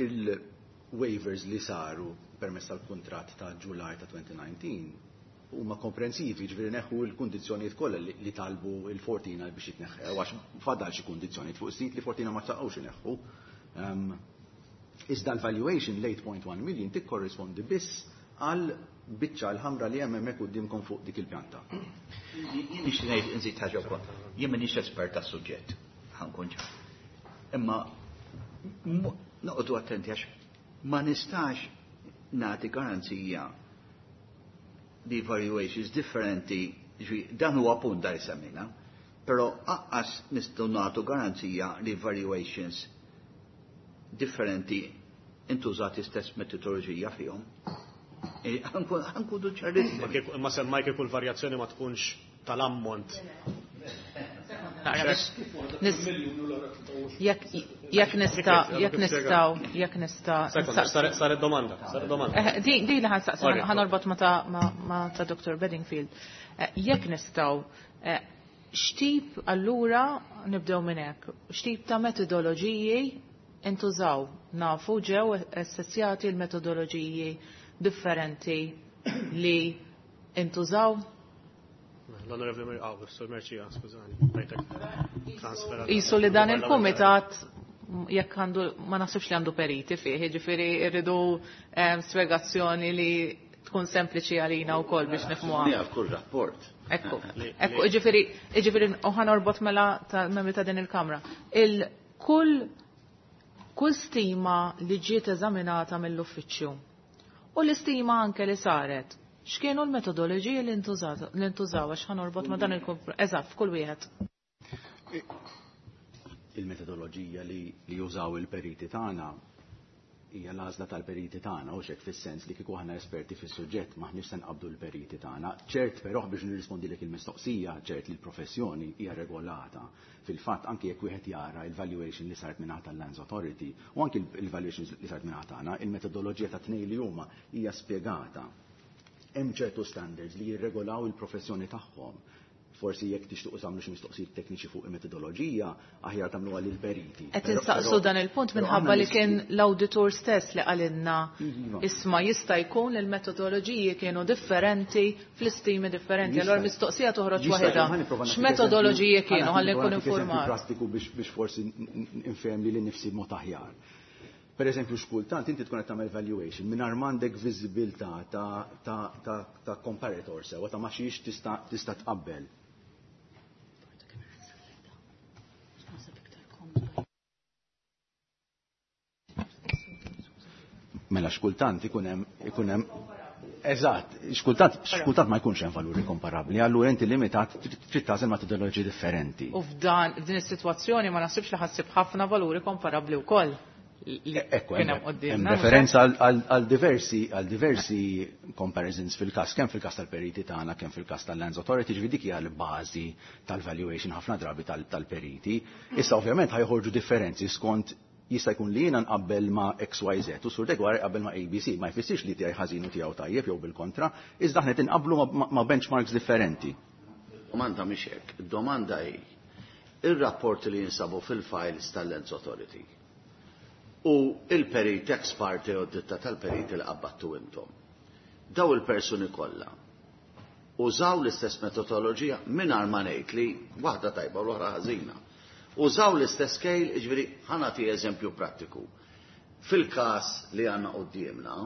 il-waivers li saru permezz tal-kuntratt ta' July ta' 2019 huma komprensivi, jiġifieri neħu l-kundizzjonijiet kollha li talbu il-Fortina biex jitneħħew, għax fadal xi kundizzjonijiet fuq sit li Fortina ma xtaqgħux ineħħu. Iżda l-valuation l-8.1 million tikkorrispondi biss għal biċċa l-ħamra li hemm hemmhekk quddiemkom fuq dik il-pjanta. Jien nixtieq ngħid nżid ħaġa wkoll. Jien m'iniex espert tas-suġġett, ħa nkun ċar. Imma noqogħdu attenti għax ma nistax nagħti garanzija li valuations differenti, ġi, dan huwa punt da jsemmina, però aqqas nistgħu nagħtu garanzija li valuations differenti intużati stess metodoloġija fihom. Ħa nkunu ċarissimi. Ma semmaj kieku l-varjazzjoni ma tkunx tal-ammont. Naqra biex jekk nista' jekk nistgħu jekk nista' Saret domanda, saret domanda. Din li ħa nsaqsi, ħa norbot ma ta' Dr. Bedingfield. Jekk nistgħu, x'tip, allura nibdew minn hekk, x'tip ta' metodoloġiji intużaw? Nafu ġew assessjati l-metodoloġiji differenti li intużaw? L-Onorevoli Sur Mercieca, skużani. Jisu li dan il-kumitat jekk għandu, ma naħsibx li għandu periti fih, ġifieri rridu spjegazzjoni li tkun sempliċi għalina wkoll biex nifhmuha. Naf kull rapport. Ekku, ġifieri, u ħa norbot mela ta' membri ta' din il-Kamra. Il-kull stima li ġiet eżaminata mill-uffiċċju u l-istima anke li saret, x'kienu l-metodoloġiji li ntużaw, għax ħa norbot ma' dan il Eżatt, f'kull wieħed. Il-metodoloġija li jużaw il-periti tagħna hija l-għażla tal-periti tagħna u xek, fis-sens li kieku aħna esperti fis-suġġett maħniex se nqabdu l-periti tagħna. Ċert però, biex nirrispondilek il-mistoqsija, ċert li l-professjoni hija regolata. Fil-fatt, anke jekk wieħed jara il-valuation li saret minn tal-Lands Authority u anke il-valuation li saret minn tagħna, il-metodoloġija ta' tnejn li huma hija spjegata. Hemm ċertu standards li jirregolaw il-professjoni tagħhom. Forsi jekk tixtuqu tagħmlu xi mistoqsijiet tekniċi fuq il-metodoloġija, aħjar tagħmluha lill-periti. Qed insaqsu dan il-punt minħabba li kien l-awditur stess li qalilna, isma', jista' jkun li l-metodoloġiji kienu differenti fl-istimi differenti. Allora mistoqsija toħroġ waħedha. X'metodoloġiji kienu, ħalli nkun informat. Prattiku biex forsi nfhem li nifsi mod aħjar. Per eżempju, xkultant inti tkun qed tagħmel valuation mingħajr m'għandek viżibilità ta' comparator sewa ta' ma xiex tista' tqabbel. Mela xkultant ikun hemm. Eżatt, xkultant ma jkunx hemm valuri komparabbli, allura inti limitat, trid tagħżel metodoloġiji differenti. U f'dan f'din is-sitwazzjoni ma naħsibx li ħa ssib ħafna valuri komparabbli wkoll. Ekku, hemm referenza għal diversi comparisons fil-każ, kemm fil-każ tal-periti tagħna, kemm fil-każ tal-Lands Authority, ġifieri dik hija l-bażi tal-valuation ħafna drabi tal-periti. Issa ovvjament ħa joħorġu differenzi skont, jista' jkun li jiena nqabbel ma' XYZ u Sur Degwar jqabbel ma' ABC, ma jfissirx li tiegħi ħażin u tiegħu tajjeb jew bil-kontra, iżda aħna tinqablu ma' benchmarks differenti. Domanda mhix hekk, domanda hi ir-rapport li jinsabu fil-files tal-Lands Authority u il-perit ex parte u ditta tal-perit li qabbattu intom. Daw il-persuni kollha użaw l-istess metodoloġija, mingħajr ma ngħid li waħda tajba u l-oħra ħażina? Użaw l-istess scale, ġifieri ħa nagħti eżempju prattiku. Fil-każ li għandna quddiemna,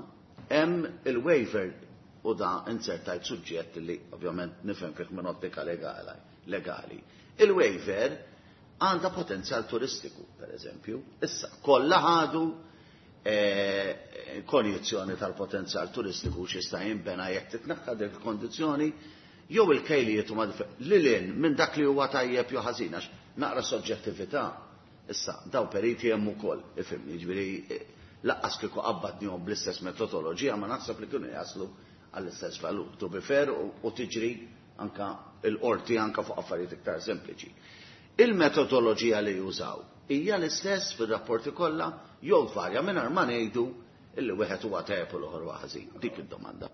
hemm il-waiver u da insertajt suġġett li ovvjament nifhem fih minn ottika legali. Il-waiver għandha potenzjal turistiku, per eżempju. Issa, kollha ħadu konjizzjoni tal-potenzjal turistiku x'jista' jinbena jekk titneħħa dik il-kondizzjoni, jew il-kejlijiet huma lil minn dak li huwa tajjeb jew ħażin, għax naqra soġġettività. Issa, daw periti hemm ukoll, ifhimni, ġifieri lanqas kieku qabbadnihom bl-istess metodoloġija ma naħseb li kienu jaslu għall-istess valur. To be fair, u tiġri anka il-qorti anka fuq affarijiet iktar sempliċi. Il-metodoloġija li jużaw hija l-istess fir-rapporti kollha jew tvarja, mingħajr ma ngħidu illi wieħed huwa tajjeb u l-oħor huwa ħażin? Dik id-domanda.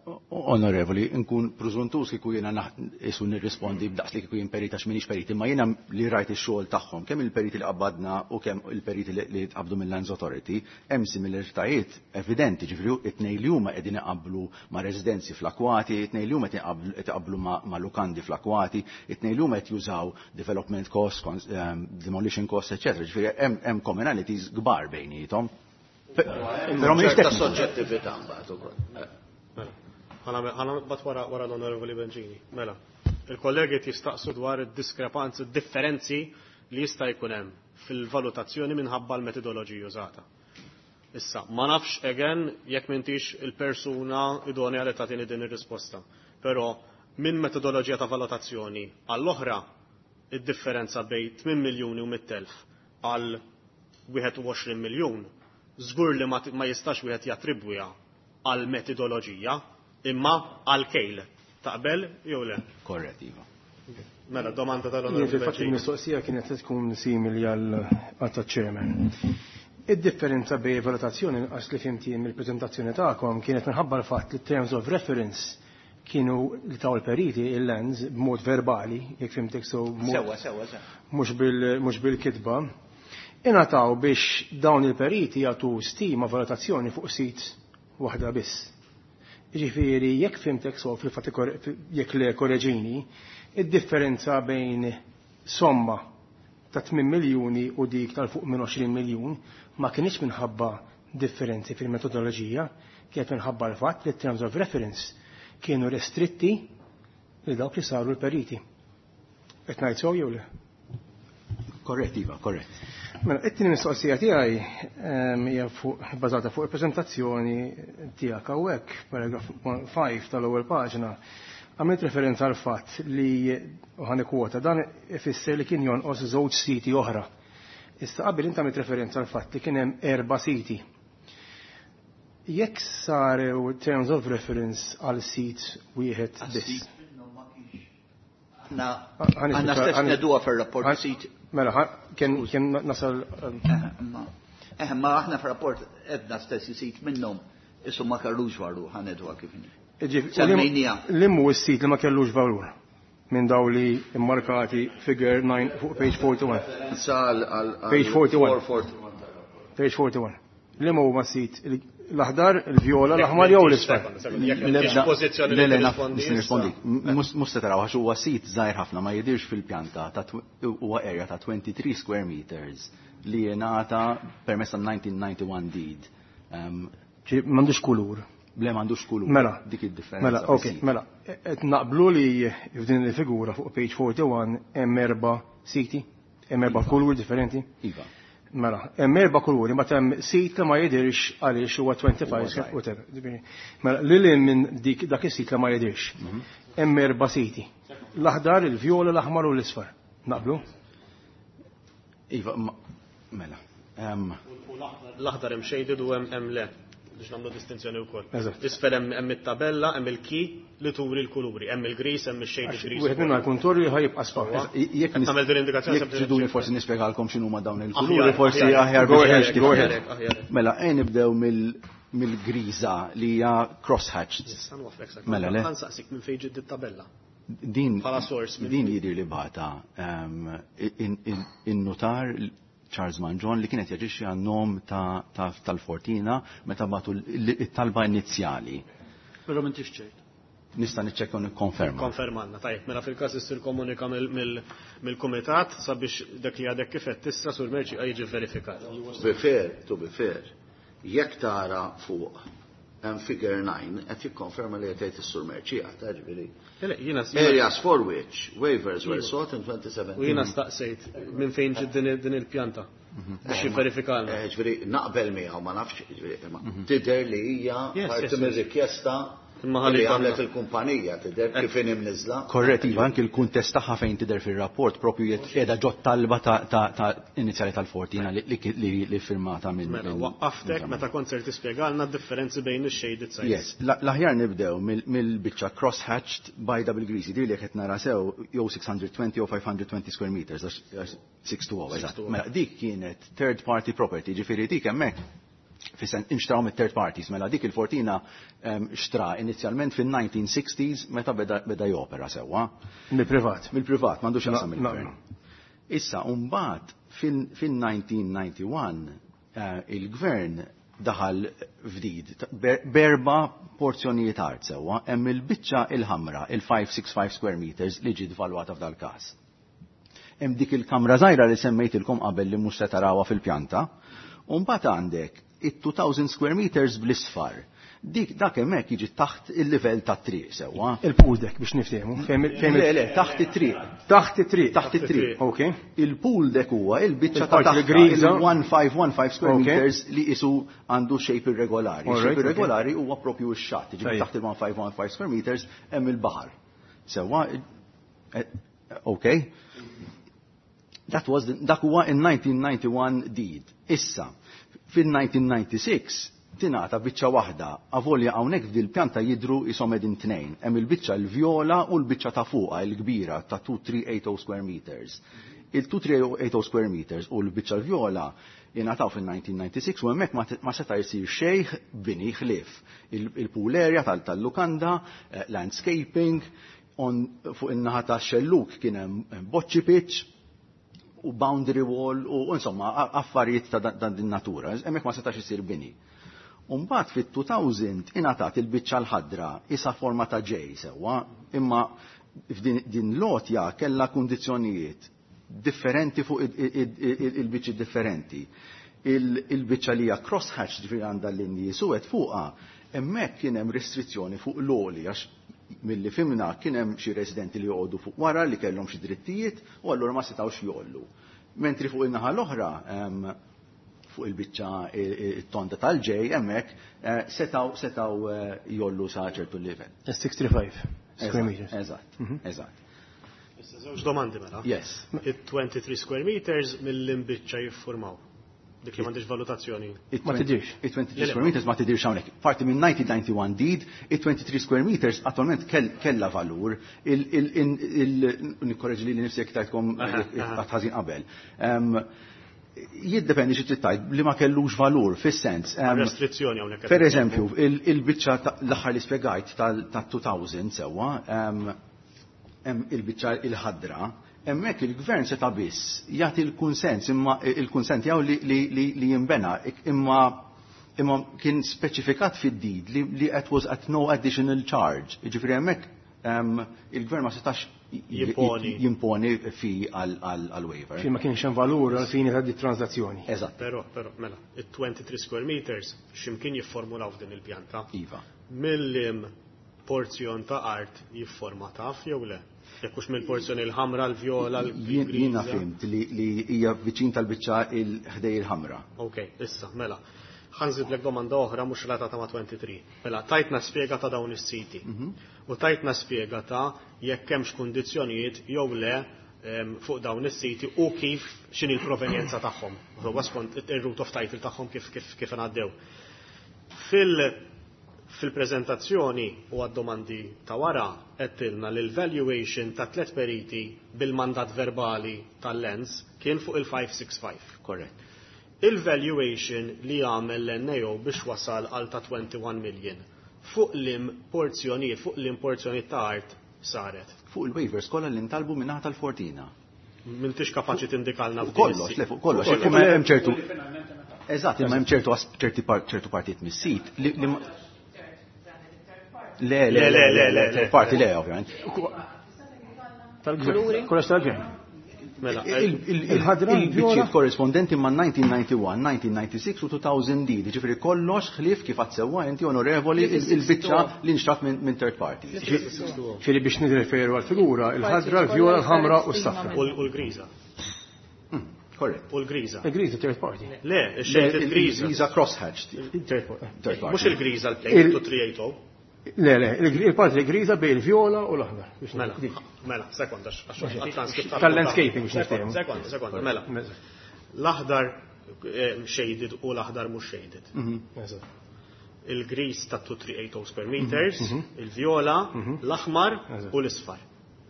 Onorevoli, nkun preżuntus kieku jiena isu nirrispondi b'daqs li kieku jien perit, għax m'iniex perit, imma jiena li rajt ix-xogħol tagħhom, kemm il-periti li qabbadna u kemm il-periti li tqabdu mill-Lands Authority, hemm similaritajiet evidenti, ġifieri it-tnejn li huma qegħdin iqabblu ma' residenzi fl-akwati, it-tnejn li huma qed iqabblu ma' lukandi fl-akwati, it-tnejn li huma qed jużaw development costs, demolition costs, eċetera. Ġifieri hemm commonalities kbar bejniethom. Però mhix ċerta soġġettività mbagħad ukoll. Mela. Ħa nibgħat wara l-Onorevoli Bencini. Mela, il-kollegi jistaqsu dwar id-diskrepanzi, differenzi li jista' jkun hemm fil-valutazzjoni minħabba l-metodoloġija użata. Issa, ma nafx again jekk m'intix il-persuna idonea li tagħtini din ir-risposta. Però minn metodoloġija ta' valutazzjoni għall-oħra, id-differenza bejn 8 miljuni u 100,000 għal 21 miljun żgur li ma jistax wieħed jattribwiha għal metodoloġija imma għal kejl. Taqbel jew le? Korrett, iva. Mela, domanda tal-Onorevoli. Fil-fatt il-mistoqsija kienet tkun simili għal taċ-chairman. Id-differenza bejn valutazzjoni għax li fhimt jien mill-preżentazzjoni tagħkom kienet minħabba l-fatt li terms of reference kienu li taw il-periti il-lens b'mod verbali, jekk fhimtek so Sewa, sewa, sewa. Mhux bil-kitba. Ingħataw biex dawn il-periti jagħtu stima valutazzjoni fuq sit waħda biss. Ġifieri, jekk fhimtek so fil-fatt jekk le korreġini, id-differenza bejn somma ta' 8 miljuni u dik tal-fuq minn 20 miljun ma kienx minħabba differenzi fil-metodoloġija, kienet minħabba l-fatt li terms of reference kienu restritti li dawk li saru l-periti. Qed ngħid sew jew le? Korrett, Iva, korrett. Mela, it-tieni mistoqsija tiegħi hija fuq bażata fuq il-preżentazzjoni tiegħek hawnhekk, paragraf 5 tal-ewwel paġna. Għamilt referenza għal fatt li u ħa nikkwota dan ifisser li kien jonqos żewġ siti oħra. Issa qabel inti għamilt referenza għal fatt li kien hemm erba' siti. Jekk sarew terms of reference għal sit wieħed biss. Għanna stess ngħiduha fil-rapport sit. Mela, kien nasal. Ma aħna fil-rapport għedna stess sit minnhom isu ma kellux valur ħa ngħiduha kif inhi. Semmejnieha. Liema hu s-sit li ma kellux valur minn daw li immarkati figure 9 fuq page 41. Sal għal Page 41. Page 41. Liema huma sit l-aħdar, il-vjola, l-aħmar jew l-isfar? Jekk Le, le, naf, nista' nirrispondi. Mhux se taraw għax huwa sit żgħir ħafna ma jidirx fil-pjanta ta' huwa area ta' 23 square meters li jingħata permezz ta' 1991 deed. M'għandux kulur. Le m'għandux kulur. Mela. Dik id-differenza. Mela, ok, mela. Qed naqblu li f'din il-figura fuq page 41 hemm erba' siti, hemm erba' kulur differenti. Iva. Mela, hemm erba' kuluri, ma hemm sit li ma jidirx għaliex huwa 25 whatever. Mela, lil minn dik dak is-sit li ma jidirx. Hemm erba' siti. L-aħdar, il-vjola, l-aħmar u l-isfar. Naqblu? Iva, mela. L-aħdar hemm shaded u hemm le biex nagħmlu distinzjoni wkoll. Eżatt. Isfel hemm it-tabella, hemm il-key li turi l-kuluri, hemm il-gris, hemm il-shaded gris. Wieħed minna jkun torri ħa jibqa' sfar. Jekk nagħmel din indikazzjoni jekk triduni forsi nispjegalkom x'inhuma dawn il-kuluri, forsi aħjar Go biex ahead, tifhem. go ahead. Mela, ejn nibdew mill-griża li hija cross-hatched. Issa nwafflek sak. Mela, le. Ħa nsaqsik minn fejn ġiet tabella. Din Bħala source minn din jidher li bagħatha in-notar Charles Mangion li kienet jaġixxi għan-nom tal-Fortina meta bagħtu it-talba inizjali. Però m'intix ċert. Nista' niċċekkja u nikkonferma. Konfermanna, tajjeb, mela fil-każ issir komunika mill-kumitat sabiex dak li għadek kif qed tissa sur Merċi jiġi verifikat. Be fair, to be fair, jekk tara fuq hemm figure 9 qed jikkonferma li qed jgħid is-sur Merċija, ta' ġifieri. Le, jiena Areas for which waivers were sought in 2017. U jiena staqsejt minn fejn ġiet din il-pjanta biex jivverifikalna. Ġifieri naqbel miegħu ma nafx, ġifieri ma tidher li hija parti mir-rikjesta Imma ħalli li jkollna. għamlet il-kumpanija tidher kif inhi mniżla. Korrett, iva, anki l-kuntest tagħha fejn tidher fir-rapport propju qiegħda ġot talba ta' inizjali tal-Fortina li firmata minn Mela, waqqaftek meta kont ser tispjegalna d-differenzi bejn ix-shaded sites. Yes, l-aħjar nibdew mill-biċċa cross-hatched by double greasy, di li qed nara sew jew 620 jew 520 square meters, għax 620, eżatt. 620. Mela, dik kienet third party property, ġifieri dik hemmhekk fis-sen inxtraw mit-third parties, mela dik il-Fortina xtra inizjalment fin-1960s meta beda jopera sewwa. Mill-privat. Mill-privat, m'għandux x'jaqsam mill-gvern. No. Issa, mbagħad fin-1991 il-gvern daħal f'deed berba porzjonijiet art sewwa, hemm il-biċċa il-ħamra, il-565 square meters li ġiet valwata f'dal-każ. Hemm dik il-kamra żgħira li semmejtilkom qabel li mhux se tarawha fil-pjanta, u mbagħad għandek it-2000 square meters bl-isfar. Dik dak hemmhekk jiġi taħt il-livell tat-triq sewwa. Il-pool deck biex niftehmu. Le, le, taħt it-triq. Taħt it-triq. Taħt it-triq. Ok. Il-pool deck huwa il-biċċa ta' Il-parti taħt griża. il-1515 square Ok. meters li isu għandu shape irregolari. All Shape right, ok. irregolari huwa propju x-xatt, jiġifieri Tajjeb. taħt il-1515 square meters hemm il-baħar. Sewwa, ok. That was dak huwa in 1991 deed. Issa, fil-1996 Tingħata biċċa waħda, avolja hawnhekk f'dil pjanta jidhru qishom qegħdin tnejn. Hemm il-biċċa l-vjola u l-biċċa ta' fuqha il-kbira ta' 2380 square meters. Il-2380 square meters u l-biċċa l-vjola jingħataw fil-1996 u hemmhekk ma seta' jsir xejn bini ħlief. Il-pool area tal-lukanda, landscaping, fuq in-naħa ta' xelluk kien hemm boċċi pitch u boundary wall u insomma affarijiet ta' din natura. Hemmhekk ma setax isir bini. Umbagħad fit-2000 ingħatat il-biċċa l-ħadra isa forma ta' J sewwa, imma f'din din lotja kellha kundizzjonijiet differenti fuq il-biċċi differenti. Il-biċċa li hija crosshatch, ġifieri għandha l-linji suwed fuqha, hemmhekk kien hemm restrizzjoni fuq l-għoli għax milli fhimna kien hemm xi residenti li joqogħdu fuq wara li kellhom xi drittijiet u allura ma setgħux jgħollu. Mentri fuq in-naħa l-oħra, fuq il-biċċa it-tonda tal-J, hemmhekk setgħu jgħollu sa ċertu livell. 65 square meters. Eżatt, eżatt. Issa żewġ domandi mela. Yes. Il-23 square meters mill-imbiċċa jiffurmaw. Dik li m'għandix valutazzjoni. Ma tidirx. Il-23 square meters ma tidirx hawnhekk. Parti minn 1991 deed, il-23 square meters attualment kella valur. Nikkorreġi li nifsi jekk tajtkom ħażin qabel. Jiddependi xi trid tgħid li ma kellux valur fis-sens. Restrizzjoni hawnhekk. Per eżempju, il-biċċa l-aħħar li spjegajt tal-2000 sewwa, hemm il-biċċa il-ħadra, hemmhekk il-gvern seta' biss jagħti l-kunsens imma il-kunsent tiegħu li jinbena, imma kien speċifikat fid-deed li it was at no additional charge. Jiġifieri hemmhekk il-gvern ma setax Jimponi. Jimponi fi għal waiver. Fi ma kienx hemm valur għal fini ta' di transazzjoni. Eżatt. Però, mela, il-23 square meters x'imkien jifformulaw f'din il-pjanta. Iva. Mill-lim porzjon ta' art jifforma taf jew le? Jekk hux mill-porzjoni l-ħamra, l-vjola, l-griża. Jiena fhimt li hija viċin tal-biċċa il-ħdej il-ħamra. Ok, issa, mela. Ħa nżidlek domanda oħra mhux relatata ma' 23. Mela, tajtna spjega ta' dawn is-siti. U tajtna spjega ta' jekk hemmx kundizzjonijiet jew le fuq dawn is-siti u kif x'inhi l-provenjenza tagħhom. Huwa skont ir-root of title tagħhom kif ngħaddew. Fil-prezentazzjoni u għad-domandi ta' wara għedtilna li l-valuation ta' tlet periti bil-mandat verbali tal-Lands kien fuq il-565. Korrett. Il-valuation li għamel l-NAO biex wasal għal ta' 21 million fuq lim porzjonijiet, fuq lim porzjonijiet ta' art saret. Fuq il-waivers kollha li ntalbu minnaħa tal-Fortina. M'intix kapaċi tindikalna Fuq kollox, le fuq kollox. Imma hemm ċertu. Eżatt, imma hemm ċertu ċertu partijiet mis-sit li Le, le, le, le, le, le, parti le, ovvjament. Tal-gvern. Kollox tal-gvern. Mela, Il-ħadra, Il-biċċiet il-vjola. korrispondenti ma' 1991, 1996 u 2000 D, ġifieri kollox ħlief kif għad inti onorevoli il-biċċa li nxtrat minn third party. Ġifieri biex nirreferu għal-figura, il-ħadra, il-vjola, il-ħamra u s-safra. U l-griża. Korrett. U l-griża. Il-griża third party. Le, ix-xejn il-griża. Il-griża crosshatched. Third party. Third party. Mhux il-griża l-plate 2380. Le, le, il-parti griża bej il-vjola u l-aħdar. Biex Mela, dik. mela, sekonda, għax għat-transcript Tal-landscaping biex niftehmu. Sekonda, sekonda, mela. L-aħdar shaded u l-aħdar mhux shaded. Eżatt. Il-griż ta' 2380 square meters, il-vjola, l-aħmar u l-isfar.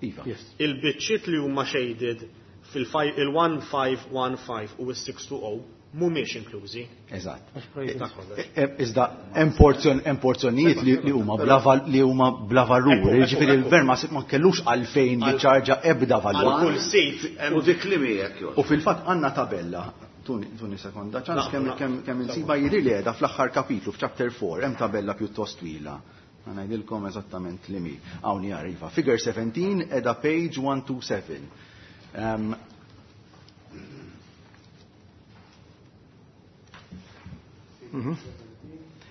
Iva. Yes. Il-biċċiet li huma shaded fil-1515 u s-620 mhumiex inklużi. Eżatt. Ta' kollox. Iżda hemm porzjonijiet li huma bla valur, jiġifieri il-gvern ma kellux għalfejn jiċċarġa ebda valur. Għal kull sit hemm U dik li miegħek jgħod. U fil-fatt għandna tabella, tuni sekonda, ċans kemm insiba jidri li qiegħda fl-aħħar kapitlu f'chapter 4, hemm tabella pjuttost twila. Ħa ngħidilkom eżattament li mi. Hawn hija Figure 17 qiegħda page 127.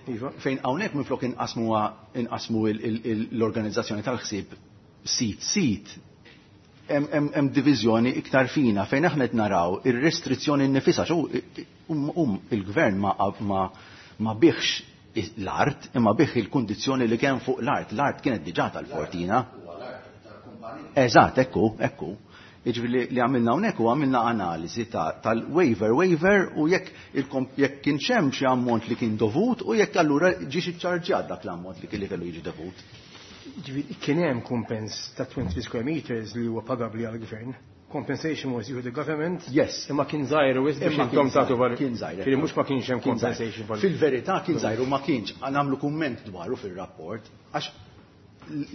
Iva. Fejn hawnhekk minflok inqasmu l-organizzazzjoni tal-ħsieb sit sit, hemm diviżjoni iktar fina fejn aħna qed naraw ir-restrizzjoni nnifisha x'hu il-gvern ma biħx l-art imma biħ il-kundizzjoni li kien fuq l-art. L-art kienet diġà tal-Fortina. Eżatt, ekku, ekku. Jiġifieri li għamilna hawnhekk u għamilna analiżi tal-waiver waiver u jekk jekk kienx hemm xi ammont li kien dovut u jekk allura ġiex iċċarġjat dak l-ammont li kien kellu jiġi dovut. Ġifieri kien hemm kumpens ta' 20 square meters li huwa pagabbli għall-gvern. Compensation was due to the government. Yes. Imma kien żgħir u biex intom tagħtu valur. Kien żgħir. Ġifieri mhux ma kienx hemm compensation. Fil-verità kien żgħir u ma kienx nagħmlu kumment dwaru fir-rapport għax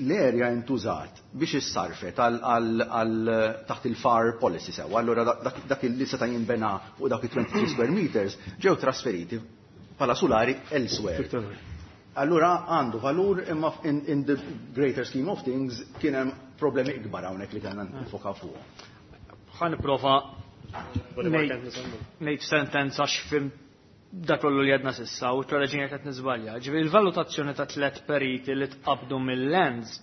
l-area intużat biex issarfet għal taħt il-FAR policy sewa. Allura dak li seta' jinbena fuq dak il-23 square meters ġew trasferiti bħala sulari elsewhere. Allura għandu valur imma in the greater scheme of things kien hemm problemi ikbar hawnhekk li kellna nifokaw fuq. Ħa nipprova ngħid sentenza x'fhimt dak kollu li għedna s'issa u t-reġina qed niżbalja. Ġifieri il-valutazzjoni ta' tliet periti li tqabdu mill-Lands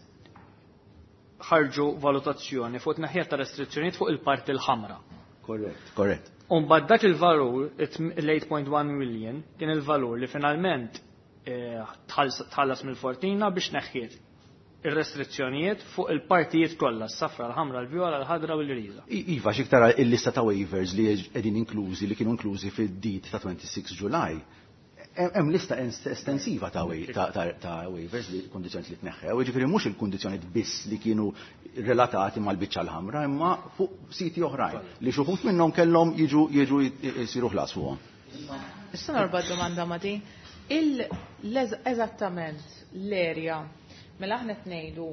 ħarġu valutazzjoni fuq tneħħija ta' restrizzjonijiet fuq il-parti l-ħamra. Korrett, korrett. Umbagħad dak il-valur, l-8.1 million, kien il-valur li finalment tħallas mill-Fortina biex neħħiet ir-restrizzjonijiet fuq il-partijiet kollha, s-safra, l-ħamra, l-vjola, l-ħadra u l-griża. Iva, xik tara il-lista ta' waivers li qegħdin inklużi li kienu inklużi fid-deed ta' 26 July. Hemm lista estensiva ta' waivers li kundizzjoni li tneħħew, jiġifieri mhux il-kundizzjoni biss li kienu relatati mal-biċċa l-ħamra, imma fuq siti oħrajn li xi wħud minnhom kellhom jiġu jiġu jsiru ħlas fuqhom. Issa norbot domanda ma' din. Eżattament l-area. Mela aħna qed ngħidu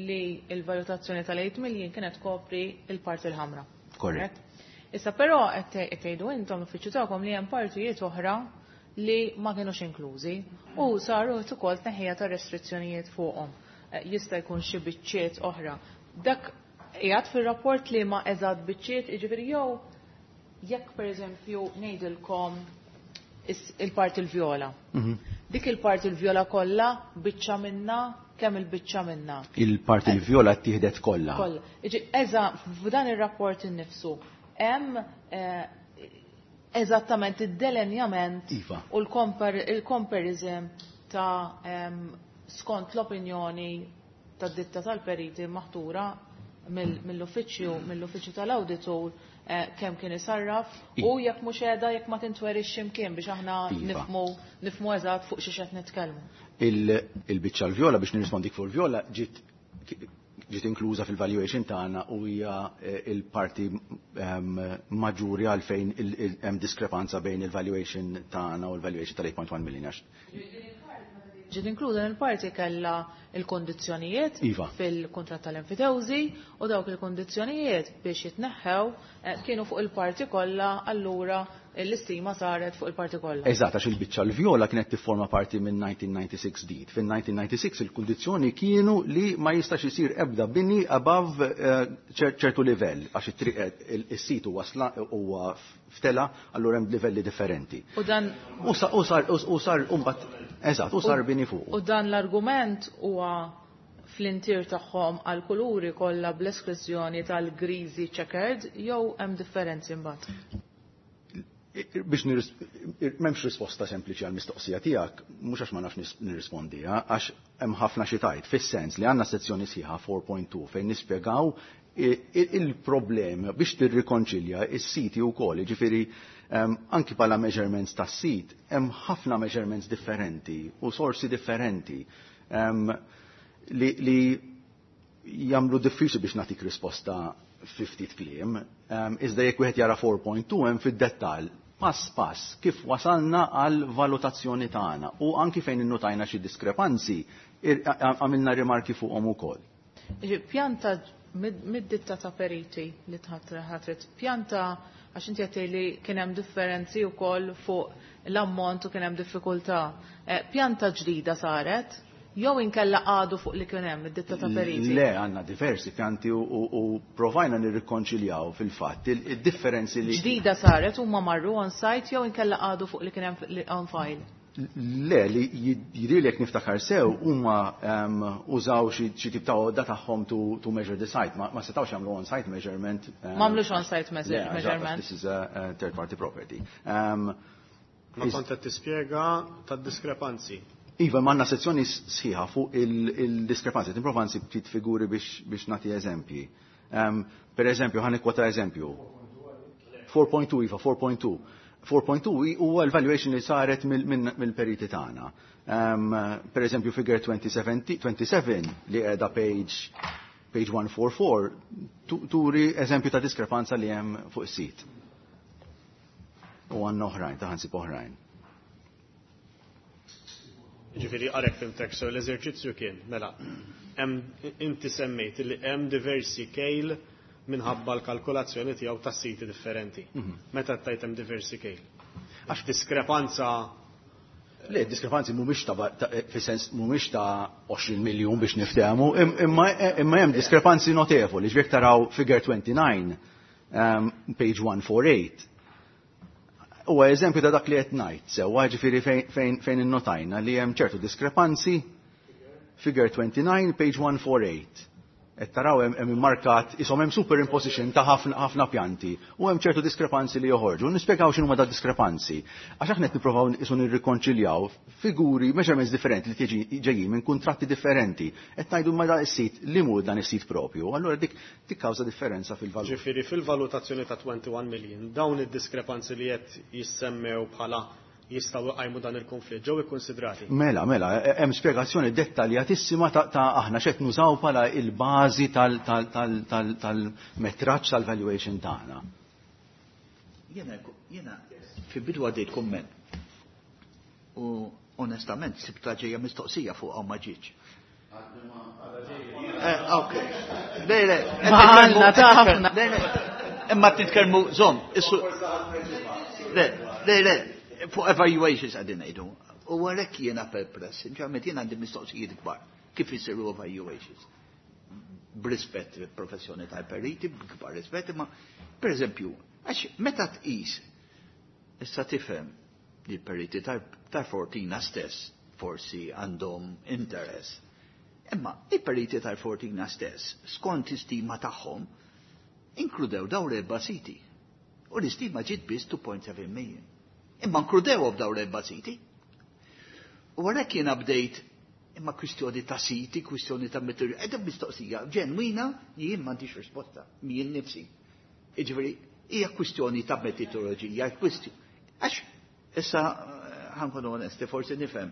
li l-valutazzjoni tal-8 million kienet kopri il-parti l-ħamra. Korrett. Issa però qed tgħidu intom l-uffiċċju tagħkom li hemm partijiet oħra li ma kienux inklużi u saru ukoll tneħħija ta' restrizzjonijiet fuqhom. Jista' jkun xi biċċiet oħra. Dak qiegħed fir-rapport li ma eżatt biċċiet, jiġifieri jew jekk pereżempju ngħidilkom il-parti l-vjola. Dik il-parti l-vjola kollha biċċa minna, kemm il-biċċa minna? Il-parti l-vjola ttieħdet kollha. Kollha. Eża f'dan ir-rapport innifsu hemm eżattament id-delenjament iva. u l-comparison ta' skont l-opinjoni tad-ditta tal-periti maħtura mill-uffiċċju tal-awditur kemm kien isarraf u jekk mhux qiegħda jekk ma tintwerix x'imkien biex aħna Iva. nifhmu eżatt fuq xi qed nitkellmu. Il-biċċa l-vjola biex nirrispondik fuq il-vjola ġiet inkluża fil-valuation tagħna u hija il-parti maġġuri għalfejn hemm diskrepanza bejn il-valuation tagħna u l-valuation tal-8.1 million. Ġiet inkluża il-parti kellha il-kondizzjonijiet iva. fil-kuntratt tal-enfitewżi u dawk il-kondizzjonijiet biex jitneħħew kienu fuq il-parti kollha, allura l-istima saret fuq il-parti kollha. Eżatt, għax il-biċċa l-vjola kienet tifforma parti minn 1996 deed. Fin-1996 il-kundizzjoni kienu li ma jistax isir ebda bini above ċertu livell, għax is-sit huwa huwa ftela, allura hemm livelli differenti. U dan u sar u sar mbagħad eżatt, u sar bini fuq. U dan l-argument huwa fl-intier tagħhom għal kuluri kollha bl-esklużjoni tal-griżi checkered jew hemm differenzi mbagħad? Biex m'hemmx risposta sempliċi għal mistoqsija tiegħek, mhux għax ma nafx nirrispondiha, għax hemm ħafna xi tajt, fis-sens li għandna sezzjoni sħiħa 4.2 fejn nispjegaw il-problema biex tirrikonċilja is-siti wkoll, jiġifieri anki bħala measurements tas-sit, hemm ħafna measurements differenti u sorsi differenti li jagħmlu diffiċli biex nagħtik risposta fi ftit kliem, iżda jekk wieħed jara 4.2 hemm fid-dettall pass pass kif wasalna għal valutazzjoni tagħna u anki fejn innutajna xi diskrepanzi għamilna rimarki fuqhom ukoll. Pjanta mid-ditta ta' periti li tħatret, pjanta għax inti qed li kien hemm differenzi wkoll fuq l-ammont u kien hemm diffikultà. Pjanta ġdida saret jew inkella għadu fuq li kien hemm id-ditta ta' periti? Le, għandna diversi pjanti u provajna nirrikonċiljaw fil-fatt il-differenzi li. Ġdida saret huma marru on site jew inkella għadu fuq li kien hemm on file? Le, li jidhirlek niftakar sew huma użaw xi tip ta' għodda tagħhom to measure the site. Ma setgħux jagħmlu on-site measurement. M'għamlux on-site measurement. This is a third party property. Ma kont qed tispjega tad-diskrepanzi. Iva, m'għandna sezzjoni sħiħa fuq il-diskrepanzi. Nipprova nsib ftit figuri biex nagħti eżempji. Per eżempju, ħa nikkwota eżempju. 4.2 iva, 4.2. 4.2 huwa l-valuation li saret mill-periti tagħna. Per eżempju, figure 27 li qiegħda page 144 turi eżempju ta' diskrepanza li hemm fuq is-sit. U għandna oħrajn, ta' ħansib oħrajn. Ġifieri għarek fimtek, so l-eżerċizzju kien, mela, inti semmejt li hemm diversi kejl minħabba l-kalkolazzjoni tiegħu ta' siti differenti. Meta tajt hemm diversi kejl? Għax diskrepanza. Le, diskrepanzi mhumiex ta' fis-sens mhumiex ta' 20 miljun biex niftehmu, imma hemm diskrepanzi notevoli. Ġifieri taraw figure 29, page 148. Huwa eżempju ta' dak li qed ngħid, sewwa ġifieri fejn innotajna li hemm ċertu diskrepanzi. Figure 29, page 148. Et taraw hemm immarkat ishom hemm superimposition ta' ħafna pjanti u hemm ċertu diskrepanzi li joħorġu. Nispjegaw x'inhuma da diskrepanzi. Għax aħna qed nippruvaw isu nirrikonċiljaw figuri, measurements differenti li tiġi ġejjin minn kuntratti differenti. Qed ngħidu ma dan is-sit li mhu dan is-sit propju. Allura dik tikkawża differenza fil-valur. Ġifieri fil-valutazzjoni ta' 21 million dawn id-diskrepanzi li qed jissemmew bħala jistgħu jqajmu dan il-konflitt ġew ikkonsidrati. Mela, hemm spjegazzjoni dettaljatissima ta' aħna x'qed nużaw bħala il-bażi tal-metraġġ tal-valuation tagħna. Jiena fi bidu għaddejt komment. U onestament sibta ġejja mistoqsija fuq ma ġietx. Ok. Le, le. Ma għandna ta' ħafna. Le, le. Imma titkellmu żomm, issu. Le, le, le. Fuq evaluations għadin ngħidu. U għalhekk jiena perpless, ġamet jiena għandi mistoqsijiet kbar. Kif isiru evaluations? B'rispett professjoni tal-periti, b'kbar rispett, imma per eżempju, għax meta tqis issa tifhem li l-periti tal-Fortina stess forsi għandhom interess. Imma il-periti tal-Fortina stess, skont istima tagħhom, inkludew dawn l-erba' siti. U l-istima ġiet biss 2.7 million. Imma inkludew f'dawn l-erba' siti. U għalhekk jiena bdejt imma kwistjoni ta' siti, kwistjoni ta' material, edha mistoqsija ġenwina jien m'għandix risposta, jien nifsi. Jiġifieri hija kwistjoni ta' metodoloġija, kwistjoni. Għax issa ħa nkunu onesti, forsi nifhem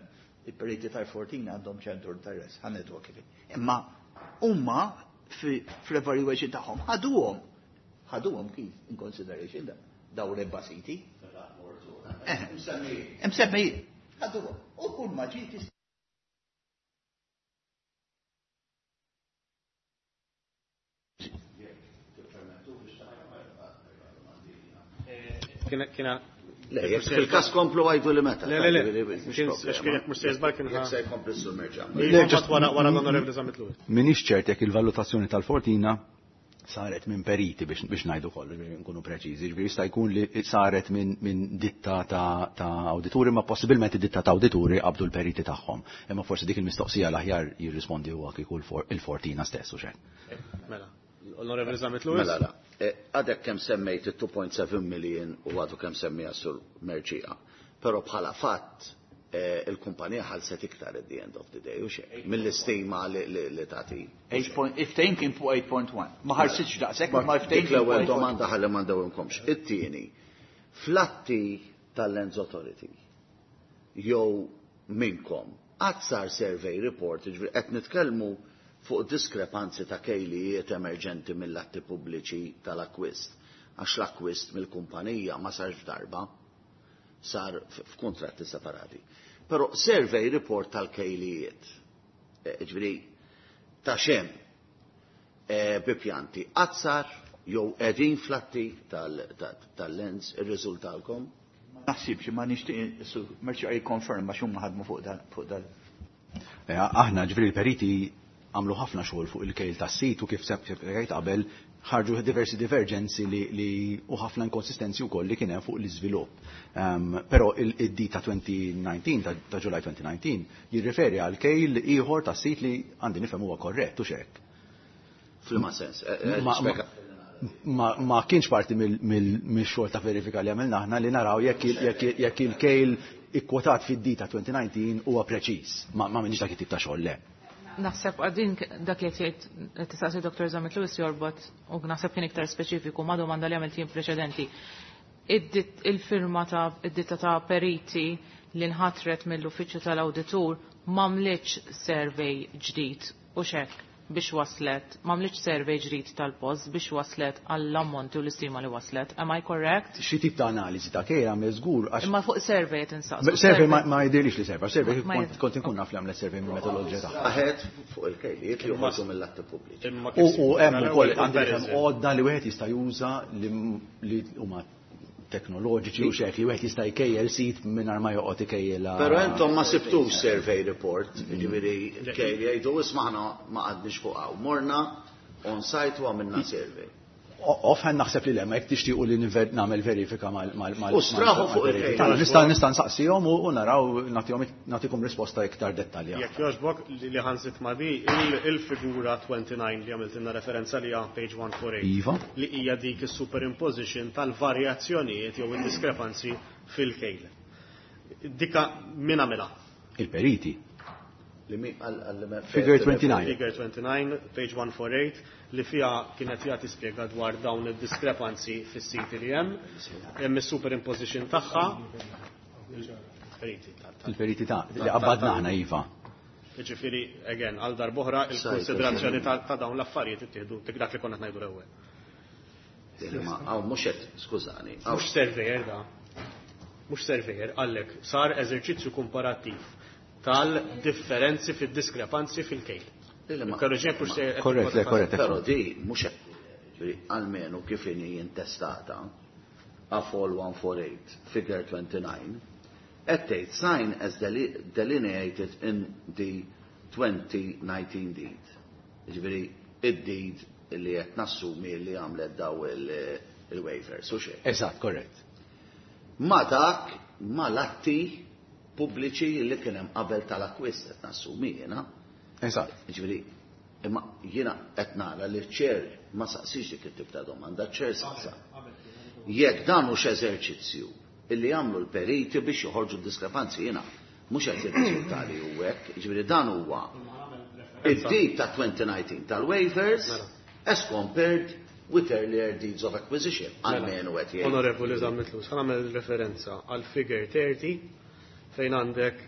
il-periti tal-Fortina għandhom ċentru interess, ħa ngħidu kif. Imma huma fl-evaluation tagħhom ħaduhom kif in consideration daw l-erba' siti. Msemmi, ħaduhom. U kull ma ġiet Kiena Le, jekk fil-kas komplu għajdu li meta. Le, le, le. Għax kien jekk mhux se żball kien Jekk se jkompli s-sur Mercieca. Le, just wara l-Onorevoli Zammit Lewis. Minix ċert jekk il-valutazzjoni tal-Fortina saret minn periti biex ngħidu kollu, biex nkunu preċiżi. Ġifieri jista' jkun li saret minn ditta ta' awdituri, ma possibilment ditta ta' awdituri qabdu l-periti tagħhom. Imma forsi dik il-mistoqsija l-aħjar jirrispondi huwa kieku il-Fortina stess u xejn. Mela, l-Onorevoli Zammit Lewis. Mela, la. Għadek kemm semmejt il-2.7 million u għadu kemm semmija sur Mercieca. Però bħala fatt il-kumpanija ħalset iktar at the end of the day u xejn. Mill-istima li tagħti. Il-ftehim kien fuq 8.1. Ma ħarsitx daqshekk, ma ftehim Dik kien l-ewwel fuq 8.1. domanda ħalli ma ndewwimkomx. It-tieni, fl-atti tal-Lands Authority jew minnkom qatt sar survey report, jiġifieri qed nitkellmu fuq diskrepanzi ta' kejlijiet emerġenti mill-atti pubbliċi tal-akwist. Għax l-akwist mill-kumpanija ma sarx f'darba, sar f'kuntratti separati. Però survey report tal-kejlijiet, ġifieri ta' xem bi pjanti, qatt sar jew qegħdin fl-atti tal-Lands irriżultalkom? Ma naħsibx, ma nixtieq su Mercieca jikkonferma x'huma ħadmu fuq dan, fuq dan. Aħna ġifieri l-periti għamlu ħafna xogħol fuq il-kejl tas-sit u kif kif qabel ħarġu diversi divergenzi li u ħafna inkonsistenzi wkoll li kien hemm fuq l-iżvilupp. Però id-D ta' 2019, ta' July 2019, jirriferi għal kejl ieħor tas-sit li għandi nifhem huwa korrett u x'hekk. F'liema sens, spjega. Ma kienx parti mill-xogħol ta' verifika li għamilna aħna li naraw jekk il-kejl ikkwotat fid-D ta' 2019 huwa preċiż. Ma minix dak it-tip ta' xogħol, le. Naħseb għadin dak li qed tistaqsi Dr. Zammit Lewis jorbot u naħseb kien iktar speċifiku ma' domanda li għamilt jien preċedenti. Il-firma ta' id-ditta ta' periti li nħatret mill-uffiċċju tal-awditur m'għamlitx survey ġdid u xek biex waslet, m'għamlitx survey ġdid tal-post biex waslet għall-ammonti u l-istima li waslet. Am I correct? Xi tip ta' analiżi ta' kejl għamel żgur għax. Imma fuq survey qed insaqsu. Survey ma jidhirlix li survey, survey kont inkun naf li għamlet survey mill-metodoloġija tagħha. Aħed fuq il-kejliet li joħorġu mill-atti pubbliċi. U hemm ukoll għandi hemm għodda li wieħed jista' juża li huma teknoloġiċi u xek li wieħed jista' jkejjel sit mingħajr ma joqgħod ikejjel. Però intom ma sibtux survey report, jiġifieri kejl jgħidu isma' aħna ma qgħadniex fuq hawn. Morna on site u għamilna survey. Offhand naħseb li le, ma jekk tixtiequ li nagħmel verifika mal U straħu fuq il-kejl. Nista' nsaqsihom u naraw nagħtikom risposta iktar dettaljata. Jekk jogħġbok li ħansit ma' di il-figura 29 li għamiltilna referenza li page 148. Iva. Li hija dik is-superimposition tal-varjazzjonijiet jew id-diskrepanzi fil-kejl. Dika min għamilha? Il-periti. Figure 29. Figure 29, page 148, li fija kienet jagħti spjega dwar dawn id-diskrepanzi fis-siti li hemm, hemm is-superimposition tagħha. Il-periti ta' li qabbadna aħna iva. Jiġifieri, again, għal darb'oħra il-konsiderazzjoni ta' dawn l-affarijiet ittieħdu dak li konna ngħidu l-ewwel. Hawn mhux qed, skużani. Mhux surveyor da. Mhux surveyor, għallek sar eżerċizzju komparattiv tal-differenzi fid-diskrepanzi fil-kejl. Korrett, le, korrett. Però di mhux hekk, almenu kif inhi intestata AFOL 148, figure 29, qed tgħid sign as delineated in the 2019 deed. Jiġifieri id-deed li qed nassumi li għamlet daw il-waivers, u xejn. Eżatt, korrett. Ma dak ma l-atti pubbliċi li kien hemm qabel tal-akkwist qed nassumi jiena. Eżatt. Jiġifieri, imma jiena qed nara li ċ-chair ma saqsix dik it-tip ta' domanda, ċer saqsa. Jekk dan hux eżerċizzju illi jagħmlu l-periti biex joħorġu d-diskrepanzi jiena mhux qed jirriżulta li hu hekk, jiġifieri dan huwa id-deed ta' 2019 tal-waivers as compared with earlier deeds of acquisition. Almenu qed jgħid. Onorevoli Zammit Lewis, ħa nagħmel referenza għal figure 30 fejn għandek